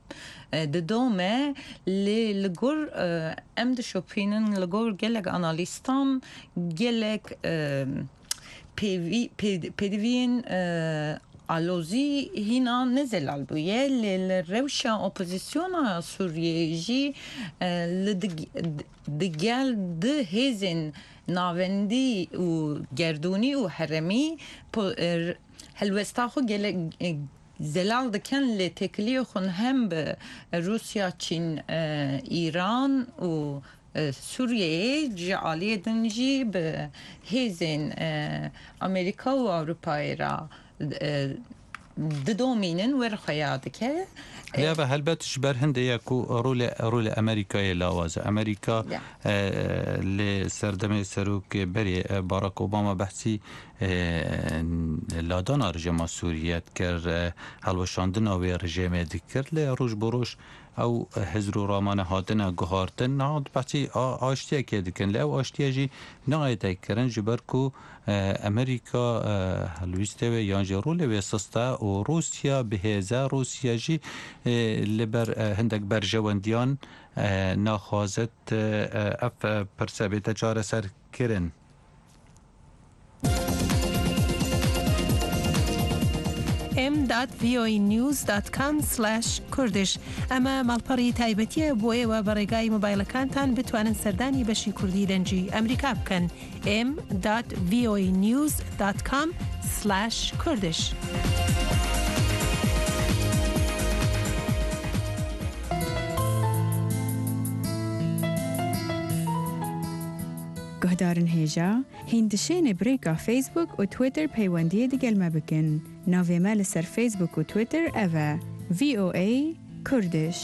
e, didome, lê li gor, e, em dişopînin, li gor gelek analîstan, gelek, e, pêvî-, pê-, pêdiviyên, e, alozî hîna ne zelal bûye, lê li rewşa opozîsyona Sûriyeyê jî, e, li dig-, digel di hêzên navendî û gerdûnî û herêmî po-, e, helwesta xwe gelek, e, zelal dikin, lê têkiliyê xwe hem bi Rûsya, Çîn, e, Îran û, e, Sûriyeyê, ji aliyê din jî bi hêzên, e, Amerîka û Ewropayê re, e, didomînin, werxweya dike. Lê eve helbet ji ber hindê ye ku rolê, rolê Amerîkayê lawaz e. Amerîka, Ya. e, li serdemê serokê berê, e, Barack Obama behsî, e, ladana rejêma Sûriye dikir, e, hilweşandina wê rejêmê dikir, lê roj bi roj ew hizr û ramane hatine guhartin, niha behsî a-, aştiyekê dikin. Lê ew aştiye jî nayête kirin, ji ber ku, e, Amerîka, e, helwîstê wê yan jî rolê wê sist e û Rûsya bi hêz e. Rûsya jî, e, li ber, e, hindek berjewendiyan, e, naxwazit, e, ev, e, pirse bête çareserkirin. M dot V O A news dot com slash Kurdish. ئەمە ماڵپەڕی تایبەتیە بۆ ئێوە بە ڕێگای مۆبایلەکانتان بتوانن سەردانی بەشی کوردی دەنگی ئەمریکا بکەن. M dot V O A news dot com slash Kurdish. Guhdarên hêja, hîn dişêne bi rêka Facebook û Twitter peywendiyê digel me bikin. Navê me li ser Facebook û Twitter ev e, V O A Kurdish.